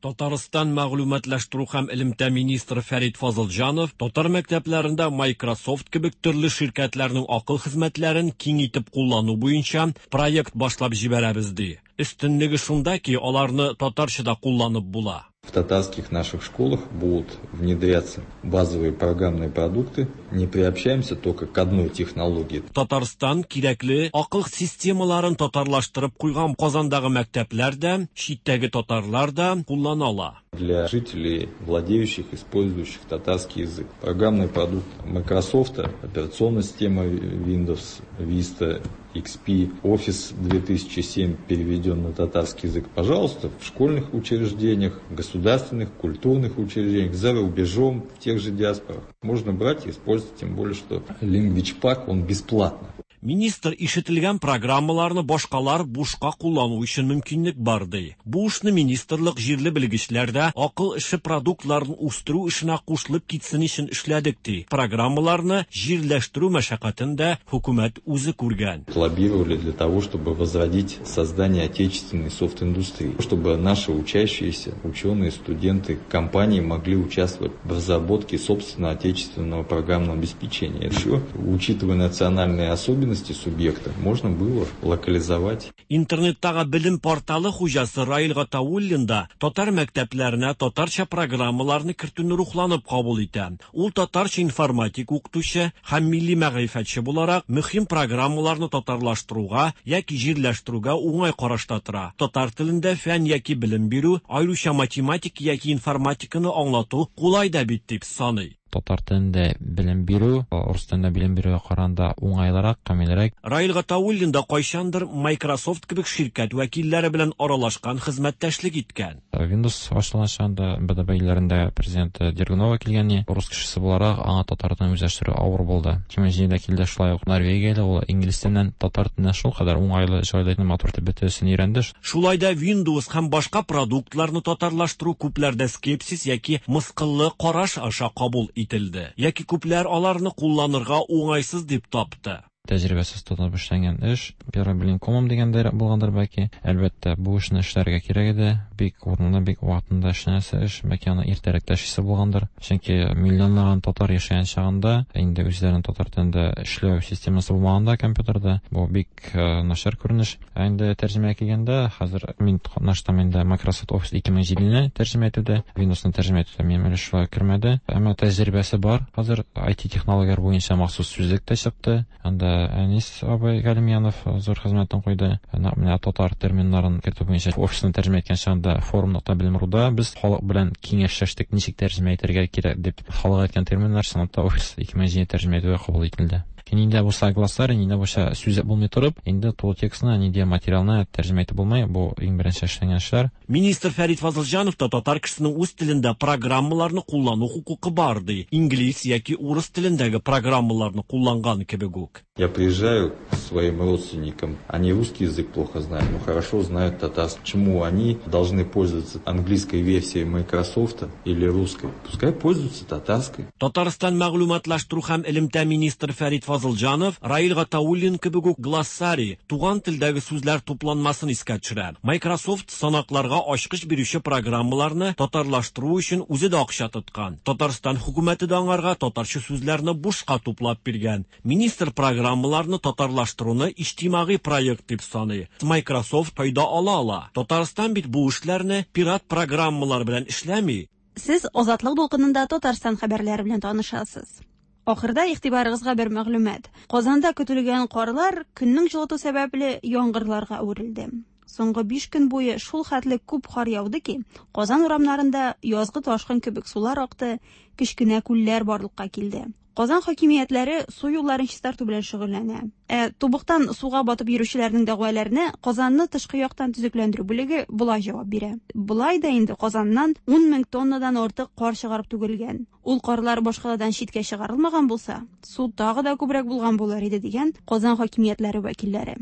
Татарстан мәгълүматлаштыру һәм элемтә министры Фәрит Фазылҗанов татар мәктәпләрендә Microsoft кебек төрле ширкәтләрнең акыл хезмәтләрен киң итеп куллану буенча проект башлап җибәрәбез ди. Өстенлеге шунда ки, аларны татарча да кулланып була. В татарских наших школах будут внедряться базовые программные продукты. Не приобщаемся только к одной технологии. Татарстан кирәкле акыл системаларын татарлаштырып куйган Казандагы мәктәпләр дә, читтәге татарлар да куллана ала. Для жителей, владеющих, использующих татарский язык. Программный продукт Microsoft, операционная система Windows, Vista, икс пи, Office две тысячи семь переведен на татарский язык. Пожалуйста, в школьных учреждениях, государственных, культурных учреждениях, за рубежом, в тех же диаспорах. Можно брать и использовать, тем более, что Language Pack, он бесплатно. Министр ишетелгән программаларны башкалар бушка куллану өчен мөмкинлек бар ди. Бу эшне министрлык җирле белгечләрдә акыл эше продуктларын үстерү эшенә кушылып китсен өчен эшләдек ди. Программаларны җирләштерү мәшәкатен дә хөкүмәт үзе күргән. Лоббировали для того, чтобы возродить создание отечественной софт-индустрии, чтобы наши учащиеся, ученые, студенты, компании могли участвовать в разработке собственного отечественного программного обеспечения. Еще, учитывая национальные особенности субъекта, можно было локализовать. Интернеттагы белем порталы хуҗасы Раил Гатауллин да татар мәктәпләренә татарча программаларны кертүне рухланып кабул итә. Ул татарча информатик укытучы һәм милли мәгърифәтче буларак мөһим программаларны татарлаштыруга яки җирләштерүгә уңай карашта тора. Татар телендә фән яки белем бирү, аеруча математика яки информатиканы аңлату кулай да бит дип саный. Татар телендә белем бирү, урыс телендә белем бирүгә караганда уңайлырак, камилрәк. Раил Гатауллин да кайчандыр Microsoft кебек ширкәт вәкилләре белән аралашкан, хезмәттәшлек иткән. Windows ачылган чагында Б Д Б илләрендә президент Дергунова килгән, урыс кешесе буларак аңа татар телен үзләштерү авыр булды. ике мең җидедә килде шулай ук Норвегиядә, ул инглиз теленнән татар теленә шул кадәр уңайлы, җайлы, матур итеп бөтенесен өйрәнде. Шулай да Windows һәм башка продуктларны татарлаштыру күпләрдә скепсис яки мыскыллы караш аша кабул ителде. Яки күпләр аларны кулланырга уңайсыз дип тапты. Тәҗрибәсез тотынып эшләнгән эш, первый блин комом дигәндәй булгандыр бәлки. Әлбәттә, бу эшне эшләргә кирәк иде. Бик урынында, бик вакытында эшләнәсе эш, бәлки аны иртәрәк тә эшлисе булгандыр. Чөнки миллионлаган татар яшәгән чагында, инде үзләренең татар телендә эшләү системасы булмаганда компьютерда, бу бик, э, начар күренеш. Ә инде тәрҗемәгә килгәндә, хәзер мин катнаштым инде Microsoft Office ике мең җидене тәрҗемә итүдә, Windows-ны тәрҗемә итүдә минем өлеш шулай кермәде. Әмма тәҗрибәсе бар. Хәзер ай ти технологияләр буенча махсус сүзлек тә чыкты. Анда Әнис абый Галимьянов зур хезмәтен куйды. Нәкъ менә татар терминнарын кертү буенча офисны тәрҗемә иткән чагында форум нокта белем руда без халык белән киңәшләштек, ничек тәрҗемә итәргә кирәк дип. Халык әйткән терминнар чынлап та Office ике мең җиде тәрҗемә итүгә кабул ителде. Нинди булса глоссарий, нинди булса сүз булмый торып, инде тулы текстны, нинди материалны тәрҗемә итеп булмый. Бу иң беренче эшләнгән эшләр. Министр Фәрит Фазылҗанов та татар кешесенең үз телендә программаларны куллану хокукы бар ди. Инглиз яки урыс телендәге программаларны кулланган кебек үк. Я приезжаю к своим родственникам, они русский язык плохо знают, но хорошо знают татарский. Почему они должны пользоваться английской версией Microsoft или русской? Пускай пользуются татарской. Татарстан мәгълүматлаштыру һәм элемтә министры Фәрит Фазылҗанов Раил Гатауллин кебек үк глоссарий, туган телдәге сүзләр тупланмасын искә төшерә. Microsoft санакларга ачкыч бирүче программаларны татарлаштыру өчен үзе дә акча тоткан. Татарстан хөкүмәте дә аңарга татарча сүзләрне бушка туплап биргән. Министр программаларны татарлаштыруны иҗтимагый проект дип саный. Microsoft файда ала ала. Татарстан бит бу эшләрне пират программалар белән эшләми. Сез Азатлык дулкынында Татарстан хәбәрләре белән танышасыз. Ахырда игътибарыгызга бер мәгълүмат. Казанда көтелгән карлар көннең җылыту сәбәпле яңгырларга әверелде. Соңгы биш көн буе шул хәтле күп кар яуды ки, Казан урамнарында язгы ташкын кебек сулар акты, кечкенә күлләр барлыкка килде. Казан хакимиятләре су юлларын чистарту белән шөгыльләнә. Ә тубыктан суга батып йөрүчеләрнең дәгъваларына Казанны тышкы яктан төзекләндерү бүлеге болай җавап бирә. Болай да инде Казаннан ун мең тоннадан артык кар чыгарып түгелгән. Ул карлар башкаладан читкә чыгарылмаган булса, су тагы да күбрәк булган булыр иде дигән Казан хакимиятләре вәкилләре.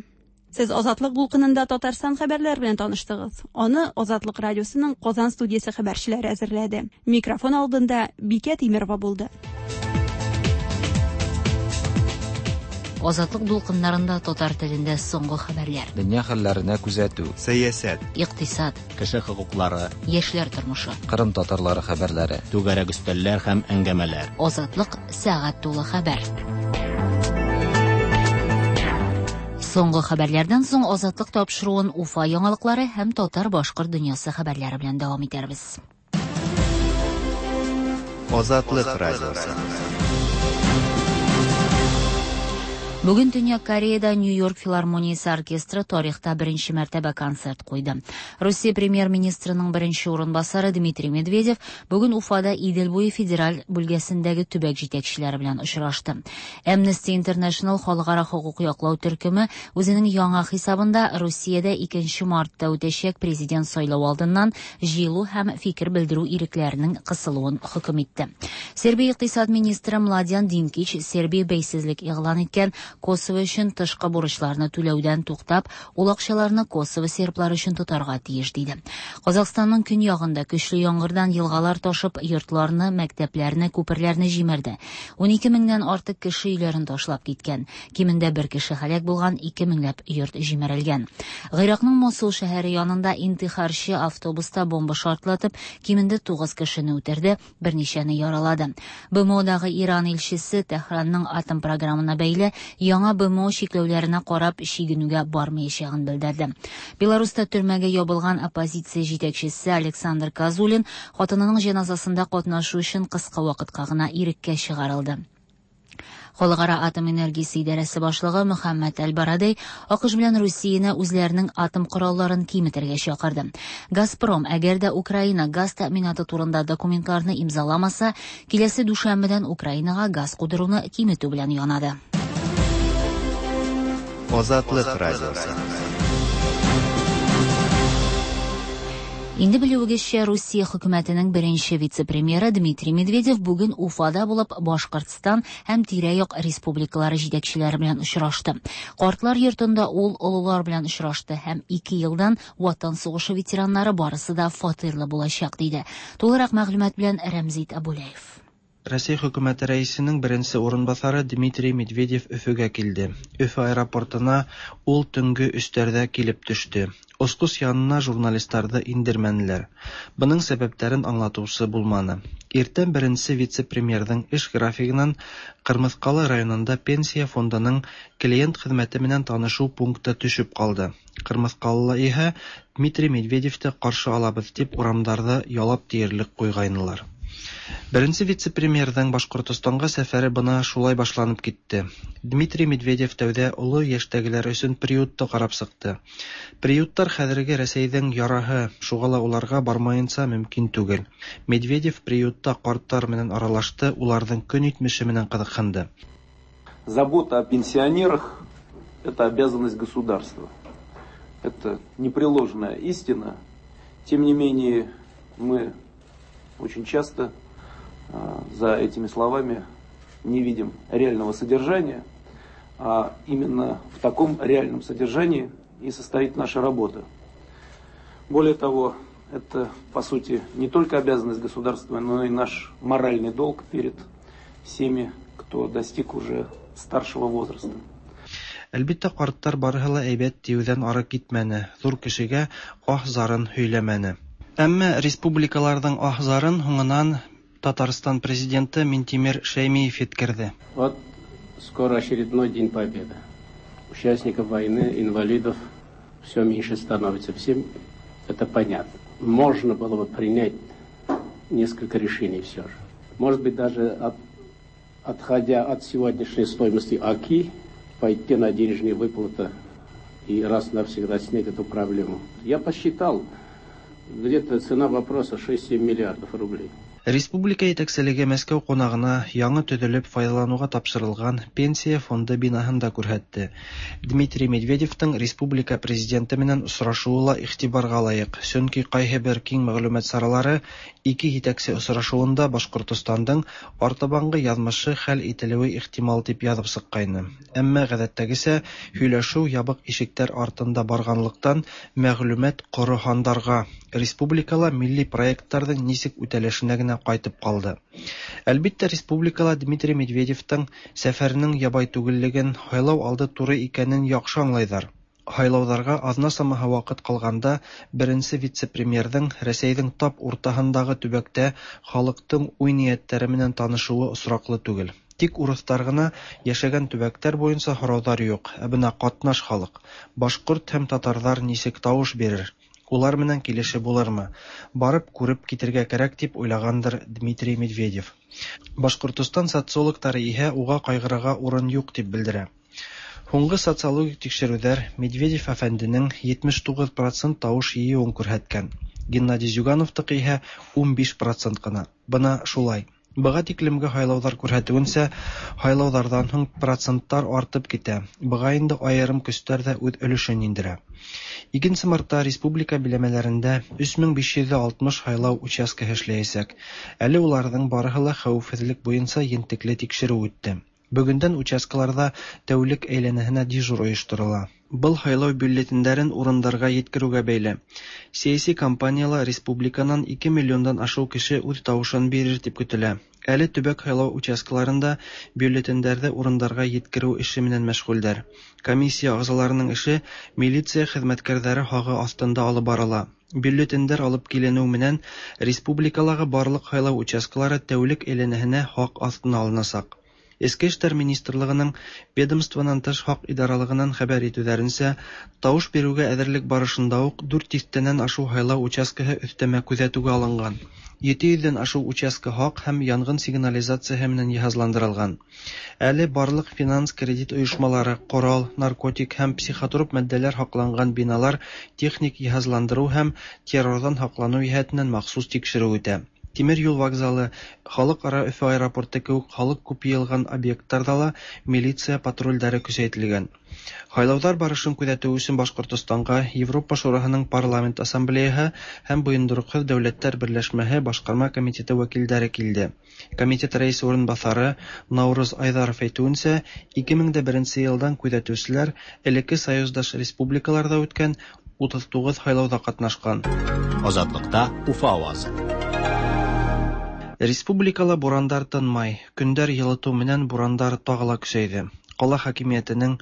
Сез Азатлык дулкынында Татарстан хәбәрләре белән таныштыгыз. Аны Азатлык радиосының Казан студиясе хәбәрчеләре әзерләде. Микрофон алдында Бикә Тимирова булды. Азатлык дулкыннарында татар телендә соңгы хәбәрләр. Дөнья хәлләренә күзәтү, сәясәт, икътисад, кеше хокуклары, яшьләр тормышы, Кырым татарлары хәбәрләре, түгәрәк өстәлләр һәм әңгәмәләр. Азатлык сәгать тулы хәбәр. Соңгы хәбәрләрдән соң Азатлык тапшыруын Уфа яңалыклары һәм татар-башкорт дөньясы хәбәрләре белән дәвам итәрбез. Азатлык радиосы. Бүген Төньяк Кореяда Нью-Йорк филармониясе оркестры тарихта беренче мәртәбә концерт куйды. Россия премьер-министрының беренче урынбасары Дмитрий Медведев бүген Уфада Идел буе федераль бүлгәсендәге төбәк җитәкчеләре белән очрашты. Amnesty International халыкара хокук яклау төркеме үзенең яңа хисабында Русиядә икенче мартта үтәчәк президент сайлау алдыннан җыелу һәм фикер белдерү ирекләренең кысылуын хөкем итте. Сербия икътисад министры Младен Динкич Сербия бәйсезлек игълан иткән Косово өчен тышкы бурычларны түләүдән туктап, ул акчаларны Косово серблары өчен тотарга тиеш диде. Казахстанның көньягында көчле яңгырдан елгалар ташып, йортларны, мәктәпләрне, күперләрне җимерде. ун ике меңнән артык кеше өйләрен ташлап киткән. Кимендә бер кеше һәлак булган, ике меңләп йорт җимерелгән. Гыйракның Мосул шәһәре янында интихарчы автобуста бомба шартлатып, кимендә тугыз кешене үтерде, берничәне яралады. Б М Одагы Иран илчесе Тәһранның атом програмына бәйле яңа Б М О чикләүләренә карап чигенүгә бармаячагын белдерде. Беларуста төрмәгә ябылган оппозиция җитәкчесе Александр Козулин хатынының җеназасында катнашу өчен кыска вакытка гына иреккә чыгарылды. Халыкара атом энергиясе идарәсе башлыгы Мөхәммәд Әл-Барадей АКШ белән Русияне үзләренең атом коралларын киметергә чакырды. Газпром, әгәр дә Украина газ тәэминаты турында документларны имзаламаса, киләсе дүшәмбедән Украинага газ кудыруны киметү белән янады. Азатлык радиосы. Инде белүегезчә, Русия хөкүмәтенең беренче вице-премьеры Дмитрий Медведев бүген Уфада булып Башкортстан һәм тирә-як республикалары җитәкчеләре белән очрашты. Картлар йортында ул олылар белән очрашты һәм ике елдан Ватан сугышы ветераннары барысы да фатирлы булачак диде. Тулырак мәгълүмат белән Рәмзит Абулаев. Россия хөкүмәте рәисенең беренче урынбасары Дмитрий Медведев Өфөгә килде. Өфө аэропортына ул төнге өчләрдә килеп төште. Оскус янына журналистларны индермәнеләр. Буның сәбәпләрен аңлатучы булманы. Иртән беренче вице-премьерның эш графигыннан Кырмыскалы районында пенсия фондының клиент хезмәте менән танышу пункты төшеп калды. Кырмыскалылар иһә Дмитрий Медведевте каршы алабыз дип урамдарда ялап диярлек куйгайнылар. Беренче вице-премьерҙың Башҡортостанға сәфәре бына шулай башланып китте. Дмитрий Медведев тәүҙә оло йәштәгеләр өсөн приютты ҡарап сыҡты. Приюттар хәҙерге Рәсәйҙең яраһы, шуға ла уларға бармайынса мөмкин түгел. Медведев приютта ҡарттар менән аралашты, уларҙың көн итмеше менән ҡыҙыҡһынды. Забота о пенсионерах – это обязанность государства. Это непреложная истина. Тем не менее, мы очень часто за этими словами не видим реального содержания, а именно в таком реальном содержании и состоит наша работа. Более того, это, по сути, не только обязанность государства, но и наш моральный долг перед всеми, кто достиг уже старшего возраста. Әлбиттә, карттар барыһы ла әйбәт тиеүҙән ары китмәне, ҙур кешегә аһ-зарын һөйләмәне. Әммә республикаларҙың аһ-зарын һуңынан Татарстан президенты Минтимер Шәймиев еткерҙе. Вот скоро очередной День Победы. Участников войны, инвалидов все меньше становится. Всем это понятно. Можно было бы принять несколько решений все же. Может быть, даже от, отходя от сегодняшней стоимости АКИ, пойти на денежные выплаты и раз навсегда снять эту проблему. Я посчитал, где-то цена вопроса шесть-семь миллиардов рублей. Республика етәкселеге Мәскәү ҡунағына яңы төҙөлөп файҙаланыуға тапшырылған пенсия фонды бинаһын да күрһәтте. Дмитрий Медведевтың республика президенты менән осрашыуы ла иғтибарға лайыҡ, сөнки ҡайһы бер киң мәғлүмәт саралары ике етәксе осрашыуында Башҡортостандың артабанғы яҙмышы хәл ителеүе ихтимал тип яҙып сыҡҡайны. Әммә ғәҙәттәгесә һөйләшеү ябыҡ ишектәр артында барғанлыҡтан мәғлүмәт ҡоро һандарға, республикала милли проекттарҙың нисек үтәлешенә генә ҡайтып ҡалды. Әлбиттә, республикала Дмитрий Медведевтың сәфәренең ябай түгеллеген, һайлау алды туры икәнен яҡшы аңлайҙар. Һайлауҙарға аҙна самаһы ваҡыт ҡалғанда беренсе вице-премьерҙың Рәсәйҙең тап уртаһындағы төбәктә халыҡтың уй-ниәттәре менән танышыуы осраҡлы түгел. Тик урыҫтар ғына йәшәгән төбәктәр буйынса һорауҙар юҡ, ә бына ҡатнаш халыҡ, башҡорт һәм татарҙар нисек тауыш бирер? Улар менән килеше булырмы? Барып күреп китергә кәрәк тип уйлағандыр Дмитрий Медведев. Башҡортостан социологтары иһә уға ҡайғырырға урын юҡ тип белдерә. Һуңғы социологик тикшереүҙәр Медведев әфәнденең етмеш туғыҙ процент тауыш йыйыуын күрһәткән. Геннадий Зюгановтыҡ иһә ун биш процент ҡына. Бына шулай. Быға тиклемге һайлауҙар күрһәтеүенсә, һайлауҙарҙан һуң проценттар артып китә. Быға инде айырым көстәр ҙә үҙ өлөшөн индерә. Икенсе мартта республика биләмәләрендә өс мең биш йөҙ алтмыш һайлау участкаһы эшләйәсәк. Әле уларҙың барыһы ла хәүефһеҙлек буйынса ентекле тикшереү үтте. Бөгөндән участкаларҙа тәүлек әйләнәһенә дежур ойошторола. Был һайлау бюллетендәрен урындарға еткереүгә бәйле. Сәйәси кампанияла республиканан ике миллиондан ашыу кеше үҙ тауышын бирер тип көтөлә. Әле төбәк һайлау участкаларында бюллетендәрҙе урындарға еткереү эше менән мәшғүлдәр. Комиссия ағзаларының эше милиция хеҙмәткәрҙәре һағы аҫтында алып барыла. Бюллетендәр алып киленеү менән республикалағы барлыҡ һайлау участкалары тәүлек әйләнәһенә һаҡ аҫтына алынасаҡ. Эске эштәр министрлығының ведомствонан тыш һаҡ идаралығынан хәбәр итеүҙәренсә, тауыш биреүгә әҙерлек барышында уҡ дүрт тиҫтәнән ашыу һайлау участкаһы өҫтәмә күҙәтеүгә алынған. Ете йөҙҙән ашыу участка һаҡ һәм янғын сигнализацияһы менән йыһазландырылған. Әле барлыҡ финанс кредит ойошмалары, ҡорал, наркотик һәм психотроп матдәләр һаҡланған биналар техник йыһазландырыу һәм террорҙан һаҡланыу йәһәтенән махсус тикшереү үтә. Тимер юл вокзалы, халыҡ-ара Өфө аэропорты кеүек халыҡ күп йыйылған объекттарҙа ла милиция патрулдәре көсәйтелгән. Һайлауҙар барышын күҙәтеү өсөн Башҡортостанға Европа Шураһының парламент ассамблеяһы һәм Бойондороҡһоҙ дәүләттәр берләшмәһе башҡарма комитеты вәкилдәре килде. Комитет рәйесе урынбаҫары Наурыз Айҙаров әйтеүенсә, ике мең дә беренсе йылдан күҙәтеүселәр элекке союздаш республикаларҙа үткән утыҙ туғыҙ һайлауҙа ҡатнашҡан. Азатлыҡта Уфа ауазы. Республикала бурандар тынмай, көндәр йылытыу менән бурандар тағы ла көсәйҙе. Ҡала хакимиәтенең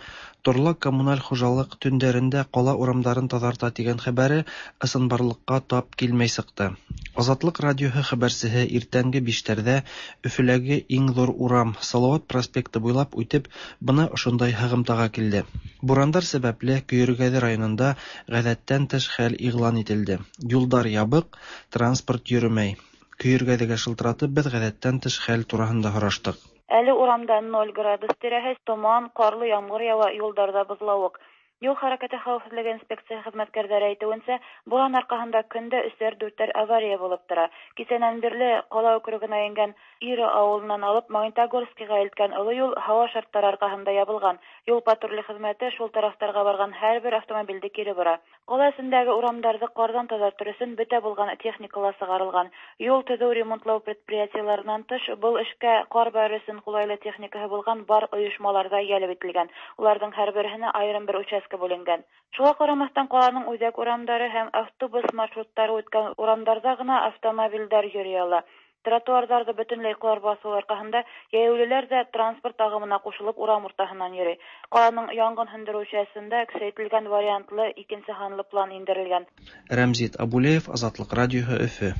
торлаҡ коммуналь хужалыҡ төндәрендә ҡала урамдарын таҙарта тигән хәбәре ысынбарлыҡҡа тап килмәй сыҡты. Азатлыҡ радиоһы хәбәрсеһе иртәнге биштәрҙә Өфөләге иң ҙур урам Салауат проспекты буйлап үтеп, бына ошондай һығымтаға килде. Бурандар сәбәпле Көйөргәҙе районында ғәҙәттән тыш хәл иғлан ителде. Юлдар ябыҡ, транспорт йөрөмәй. Көйөргәҙегә шылтыратып, беҙ ғәҙәттән тыш хәл тураһында һораштыҡ. Әле урамда ноль градус тирәһе, томан, ҡарлы ямғыр яуа, юлдарҙа боҙлауыҡ. Юл хәрәкәте хәвефсезлеге инспекция хезмәткәрләре әйтүенчә, буран аркаһында көндә өсәр-дүртәр авария булып тора. Кисәнән бирле кала округына ингән Ира авылыннан алып Магнитогорскига илткән олы юл һава шартлары аркаһында ябылган. Юл патруле хезмәте шул тарафтарга барган һәрбер автомобильде кире бора. Кала эчендәге урамнарны кардан тазартыр өчен бөтә булган техникалар чыгарылган. Юл төзү ремонтлау предприятиеләреннән тыш, был эшкә кар бәрү өчен кулайлы техникаһы булган бар оешмалар да җәлеп ителгән. Уларның һәрберһенә аерым бер участка бүленгән. Шуңа карамастан каланың үзәк урамнары һәм автобус маршрутлары үткән урамнарда гына автомобильләр йөри ала. Тротуарларда бөтенләй кар басу аркаһында җәяүлеләр дә транспорт агымына кушылып урам уртаһыннан йөри. Каланың янгын һүндерү частендә көчәйтелгән вариантлы икенче һанлы план индерелгән. Рәмзит Абулеев, Азатлык радиоһы, Өфө.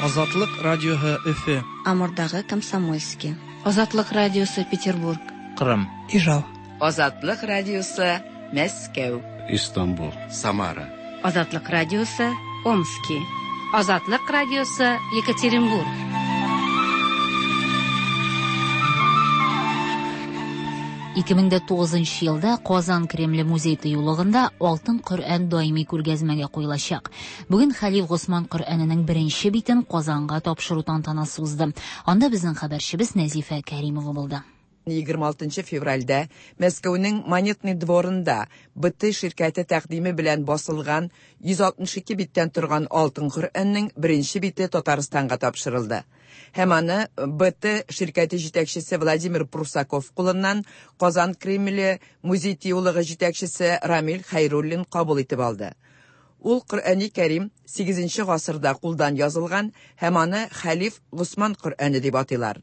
Азатлык радиоһы, Өфө. Амурдагы Комсомольский. Азатлык радиосы, Петербург. Кырым. Ижау. Азатлык радиосы, Мәскәү. Истанбул. Самара. Азатлык радиосы, Омски. Азатлык радиосы, Екатеринбург. ике мең дә тугызынчы елда Казан Кремле музей тыюлыгында Алтын Коръән даими күргәзмәгә куелачак. Бүген Хәлиф Госман Коръәненең беренче битен Казанга тапшыру тантанасы узды. Анда безнең хәбәрчебез Нәзифә Кәримова булды. егерме алтынчы февральдә Мәскәүнең Монетный дворында Б Т ширкәте тәкъдиме белән басылган йөз алтмыш ике биттән торган Алтын Коръәннең беренче бите Татарстанга тапшырылды. Һәм аны Б Т ширкәте җитәкчесе Владимир Прусаков кулыннан Казан Кремле музей тыюлыгы җитәкчесе Рамил Хәйруллин кабул итеп алды. Ул Коръәни Кәрим сигезенче гасырда кулдан язылган һәм аны Хәлиф Госман Коръәне дип атыйлар.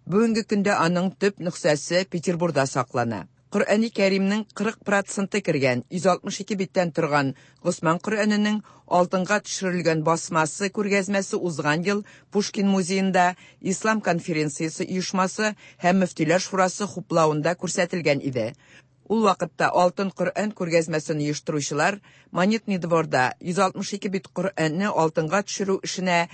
Бүгенге көндә аның төп нөсхәсе Петербургда саклана. Коръәни Кәримнең кырык проценты кергән йөз алтмыш ике биттән торган Госман Коръәненең алтынга төшерелгән басмасы күргәзмәсе узган ел Пушкин музеенда Ислам конференциясе оешмасы һәм Мөфтиләр шурасы хуплавында күрсәтелгән иде. Ул вакытта Алтын Коръән күргәзмәсен оештыручылар Монетный дворда йөз алтмыш ике бит Коръәнне алтынга төшерү эшенә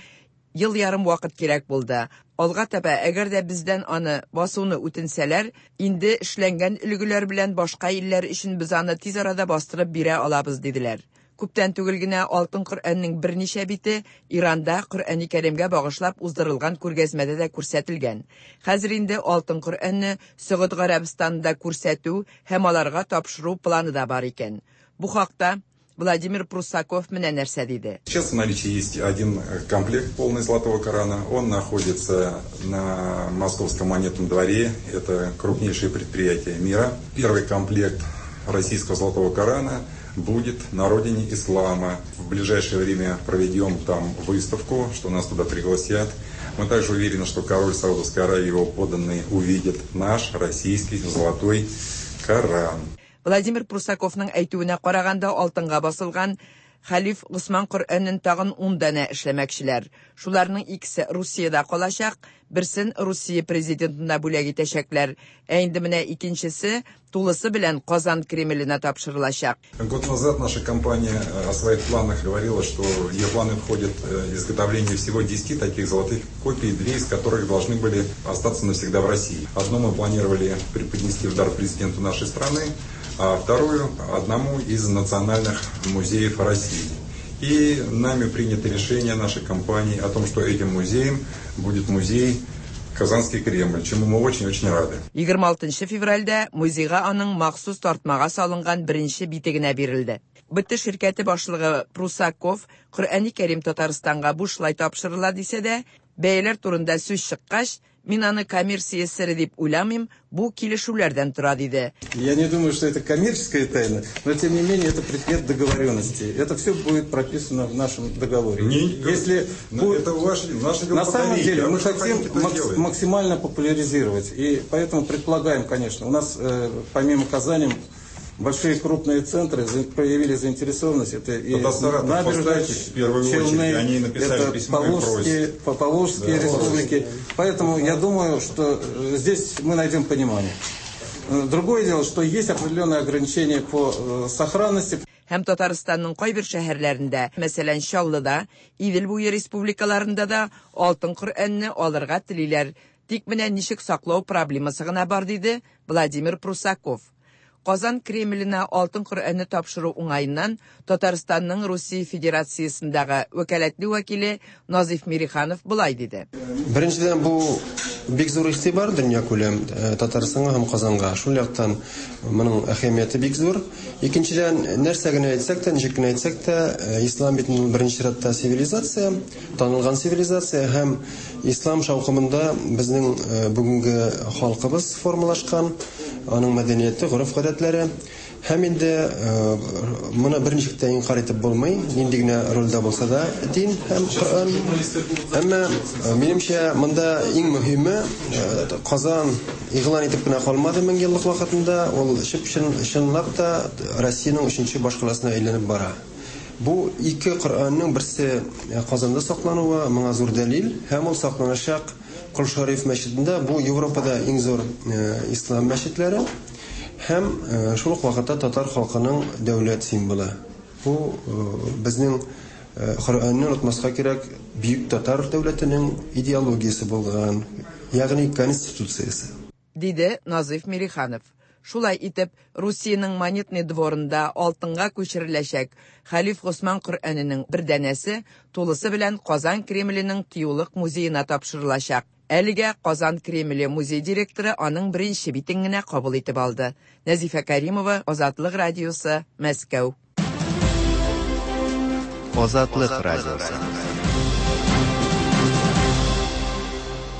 ел ярым вакыт кирәк булды. Алга таба, әгәр дә бездән аны басуны үтенсәләр, инде эшләнгән өлгеләр белән башка илләр өчен без аны тиз арада бастырып бирә алабыз, диделәр. Күптән түгел генә Алтын Коръәннең берничә бите Иранда Коръәни Кәримгә багышлап уздырылган күргәзмәдә дә күрсәтелгән. Хәзер инде Алтын Коръәнне Сөгуд Гарәбстанында күрсәтү һәм аларга тапшыру планы да бар икән. Бу хакта Владимир Прусаков менә нәрсә диде. Сейчас в наличии есть один комплект полный Золотого Корана. Он находится на Московском монетном дворе. Это крупнейшее предприятие мира. Первый комплект российского Золотого Корана будет на родине ислама. В ближайшее время проведем там выставку, что нас туда пригласят. Мы также уверены, что король Саудовской Аравии и его подданные увидят наш российский Золотой Коран. Владимир Прусаковның әйтүенә караганда, алтынга басылган Хәлиф Госман Коръәнен тагын ун данә эшләмәкчеләр. Шуларның икесе Русиядә калачак, берсен Русия президентына бүләк итәчәкләр. Ә инде менә икенчесе тулысы белән Казан Кремленә тапшырылачак. Год назад наша компания о своих планах говорила, что в ее планы входит изготовление всего десяти таких золотых копий, две из которых должны были остаться навсегда в России. Одну мы планировали преподнести в дар президенту нашей страны, а вторую одному из национальных музеев России. И нами принято решение нашей компании о том, что этим музеем будет музей Казанский Кремль, чему мы очень-очень рады. егерме алтынчы февральдә музейга аның махсус тартмага салынган беренче бите генә бирелде. Б Т ширкәте башлыгы Прусаков Коръәни Кәрим Татарстанга бушлай тапшырыла дисә дә, бәяләр турында сүз чыккач, мин аны коммерция сере дип уйламыйм, бу килешүләрдән тора, диде. Я не думаю, что это коммерческая тайна, но тем не менее это предмет договоренности. Это все будет прописано в нашем договоре. Не, Если но будет... это ваш, наше дело На самом подарить, деле а мы вы что хотим хотите, то макс- сделаем. максимально популяризировать. И поэтому предполагаем, конечно, у нас э, помимо Казани большие крупные центры за- проявили заинтересованность. Это и Тогда Саратов Набережные поставьте в первую Челны, очередь. Они написали это письмо и Поволжские, просят. по- Поволжские Да. республики. Поэтому я думаю, что э, здесь мы найдем понимание. Э, Другое дело, что есть определенные ограничения по э, сохранности. Һәм Татарстанның кайбер шәһәрләрендә, мәсәлән, Чаллыда, Идел буе республикаларында да Алтын Коръәнне алырга телиләр. Тик менә ничек саклау проблемасы гына бар, диде Владимир Прусаков. Казан Кремленә Алтын Коръәнне тапшыру уңаеннан Татарстанның Русия Федерациясендәге вәкаләтле вәкиле Назиф Мириханов болай диде. Беренчедән, бу бик зур игътибар дөньякүләм Татарстанга һәм Казанга. Шул яктан моның әһәмияте бик зур. Икенчедән, нәрсә генә әйтсәк тә, ничек кенә әйтсәк тә, ислам бит беренче чиратта цивилизация, танылган цивилизация һәм ислам шаукымында безнең бүгенге халкыбыз формалашкан, аның мәдәнияте, гореф-гадәтләре. Һәм инде моны берничек тә инкар итеп булмый, нинди генә рольдә булса да дин һәм Коръән. Әмма минемчә монда иң мөһиме, Казан игълан итеп кенә калмады мең еллык вакытында, ул чын-чынлап та Россиянең өченче башкаласына әйләнеп бара. Бу ике Коръәннең берсе Казанда саклануы моңа зур дәлил, һәм ул сакланачак Кол Шариф мәчетендә, бу Европада иң зур ислам мәчетләре. Һәм шул ук вакытта татар халкының дәүләт символы. Бу безнең Коръәнне онытмаска кирәк, бөек татар дәүләтенең идеологиясе булган, ягъни конституциясе, диде Назиф Мириханов. Шулай итеп, Русиянең Монетный дворында алтынга күчереләчәк Хәлиф Госман Коръәненең бер данәсе тулысы белән Казан Кремленең тыюлык музеена тапшырылачак. Әлегә Казан Кремле музей директоры аның беренче битен генә кабул итеп алды. Нәзифә Каримова, Азатлык радиосы, Мәскәү. Азатлык радиосы.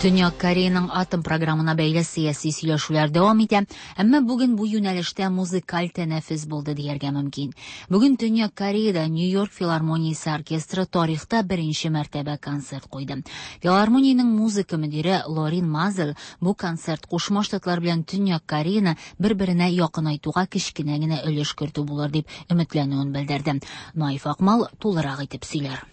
Төньяк Кореяның атом програмына бәйле сәяси сөйләшүләр дәвам итә, әмма бүген бу юнәлештә музыкаль тәнәфес булды дияргә мөмкин. Бүген Төньяк Кореяда Нью-Йорк филармониясе оркестры тарихта беренче мәртәбә концерт куйды. Филармониянең музыка мөдире Лорин Мазел бу концерт Кушма Штатлар белән Төньяк Кореяны бер-беренә якынайтуга кечкенә генә өлеш кертү булыр дип өметләнүен белдерде. Наиф Акмал тулырак итеп сөйләр.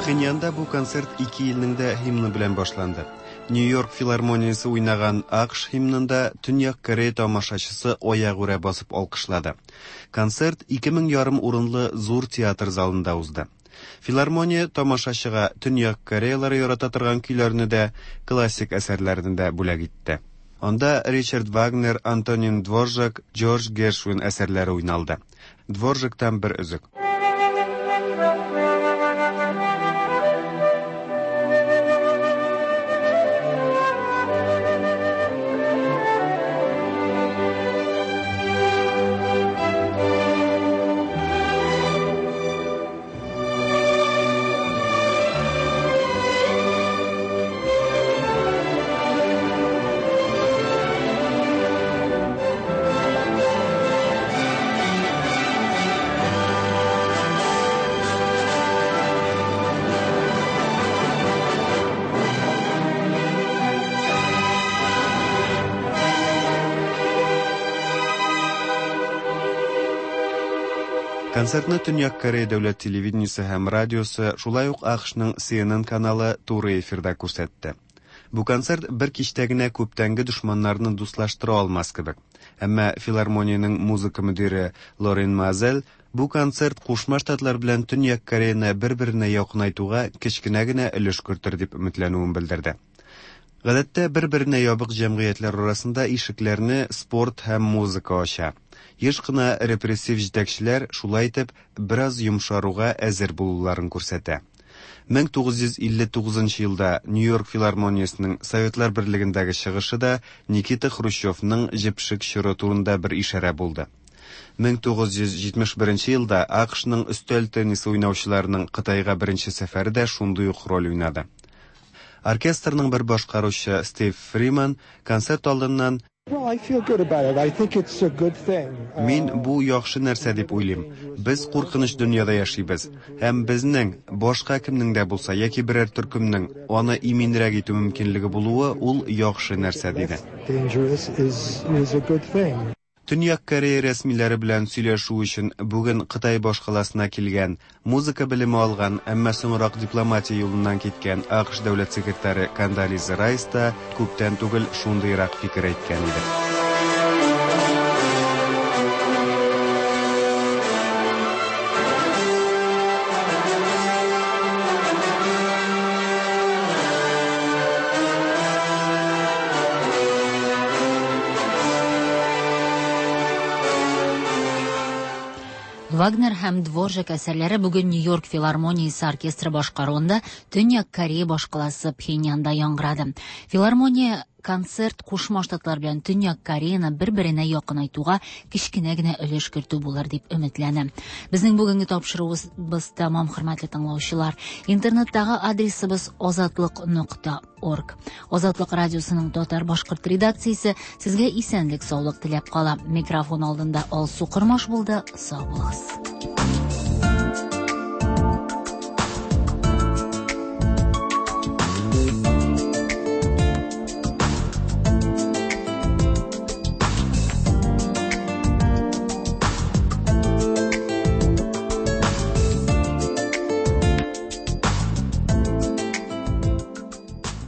Пхеньянда бу концерт ике илнең дә һимны белән башланды. Нью-Йорк филармониясе уйнаган АКШ һимнында Төньяк Корея тамашачысы аягүрә басып алкышлады. Концерт ике мең ярым урынлы зур театр залында узды. Филармония тамашачыга Төньяк Кореялары ярата торган көйләрне дә, классик әсәрләрне дә бүләк итте. Анда Ричард Вагнер, Антонин Дворжак, Джордж Гершвин әсәрләре уйналды. Дворжактан бер өзек. Концертны Төньяк Корея дәүләт телевидениесе һәм радиосы, шулай ук АКШның Си Эн Эн каналы туры эфирда күрсәтте. Бу концерт бер кичтә генә күптәнге дошманнарны дуслаштыра алмас кебек. Әмма филармониянең музыка мөдире Лорен Мазел бу концерт Кушма Штатлар белән Төньяк Кореяны бер-беренә якынайтуга кечкенә генә өлеш кертер дип өметләнүен белдерде. Гадәттә бер-беренә ябык җәмгыятьләр арасында ишекләрне спорт һәм музыка ача. Еш кына репрессив җитәкчеләр шулай итеп бераз йомшаруга әзер булуларын күрсәтә. мең тугыз йөз илле тугызынчы елда Нью-Йорк филармониясенең Советлар Берлегендәге чыгышы да Никита Хрущевның җепшек чоры турында бер ишарә булды. мең тугыз йөз җитмеш беренче елда АКШның өстәл теннисы уйнаучыларының Кытайга беренче сәфәре дә шундый ук роль уйнады. Оркестрның бер башкаручы Стив Фриман концерт алдыннан Мин бу яхшы нәрсә дип уйлыйм. Без куркыныч дөньяда яшибез һәм безнең башка кемнең дә булса яки берәр төркемнең аны иминрәк итү мөмкинлеге булуы ул яхшы нәрсә, диде. Төньяк Корея рәсмиләре белән сөйләшү өчен бүген Кытай башкаласына килгән, музыка белеме алган, әмма соңрак дипломатия юлыннан киткән АКШ дәүләт секретаре Кондолиза Райс та күптән түгел шундыйрак фикер әйткән иде. Вагнер һәм Дворжак әсәрләре бүген Нью-Йорк филармониясе оркестры башкаруында Төньяк Корея башкаласы Пхеньянда яңгырады. Филармония концерт Кушма Штатлар белән Төньяк Кореяны бер-беренә якынайтуга кечкенә генә өлеш кертү булыр дип өметләнә. Безнең бүгенге тапшыруыбыз тәмам, хөрмәтле тыңлаучылар. Интернеттагы адресыбыз азатлык нокта орг. Азатлык радиосының татар-башкорт редакциясе сезгә исәнлек, саулык теләп кала. Микрофон алдында Алсу Кормаш булды. Сау булыгыз.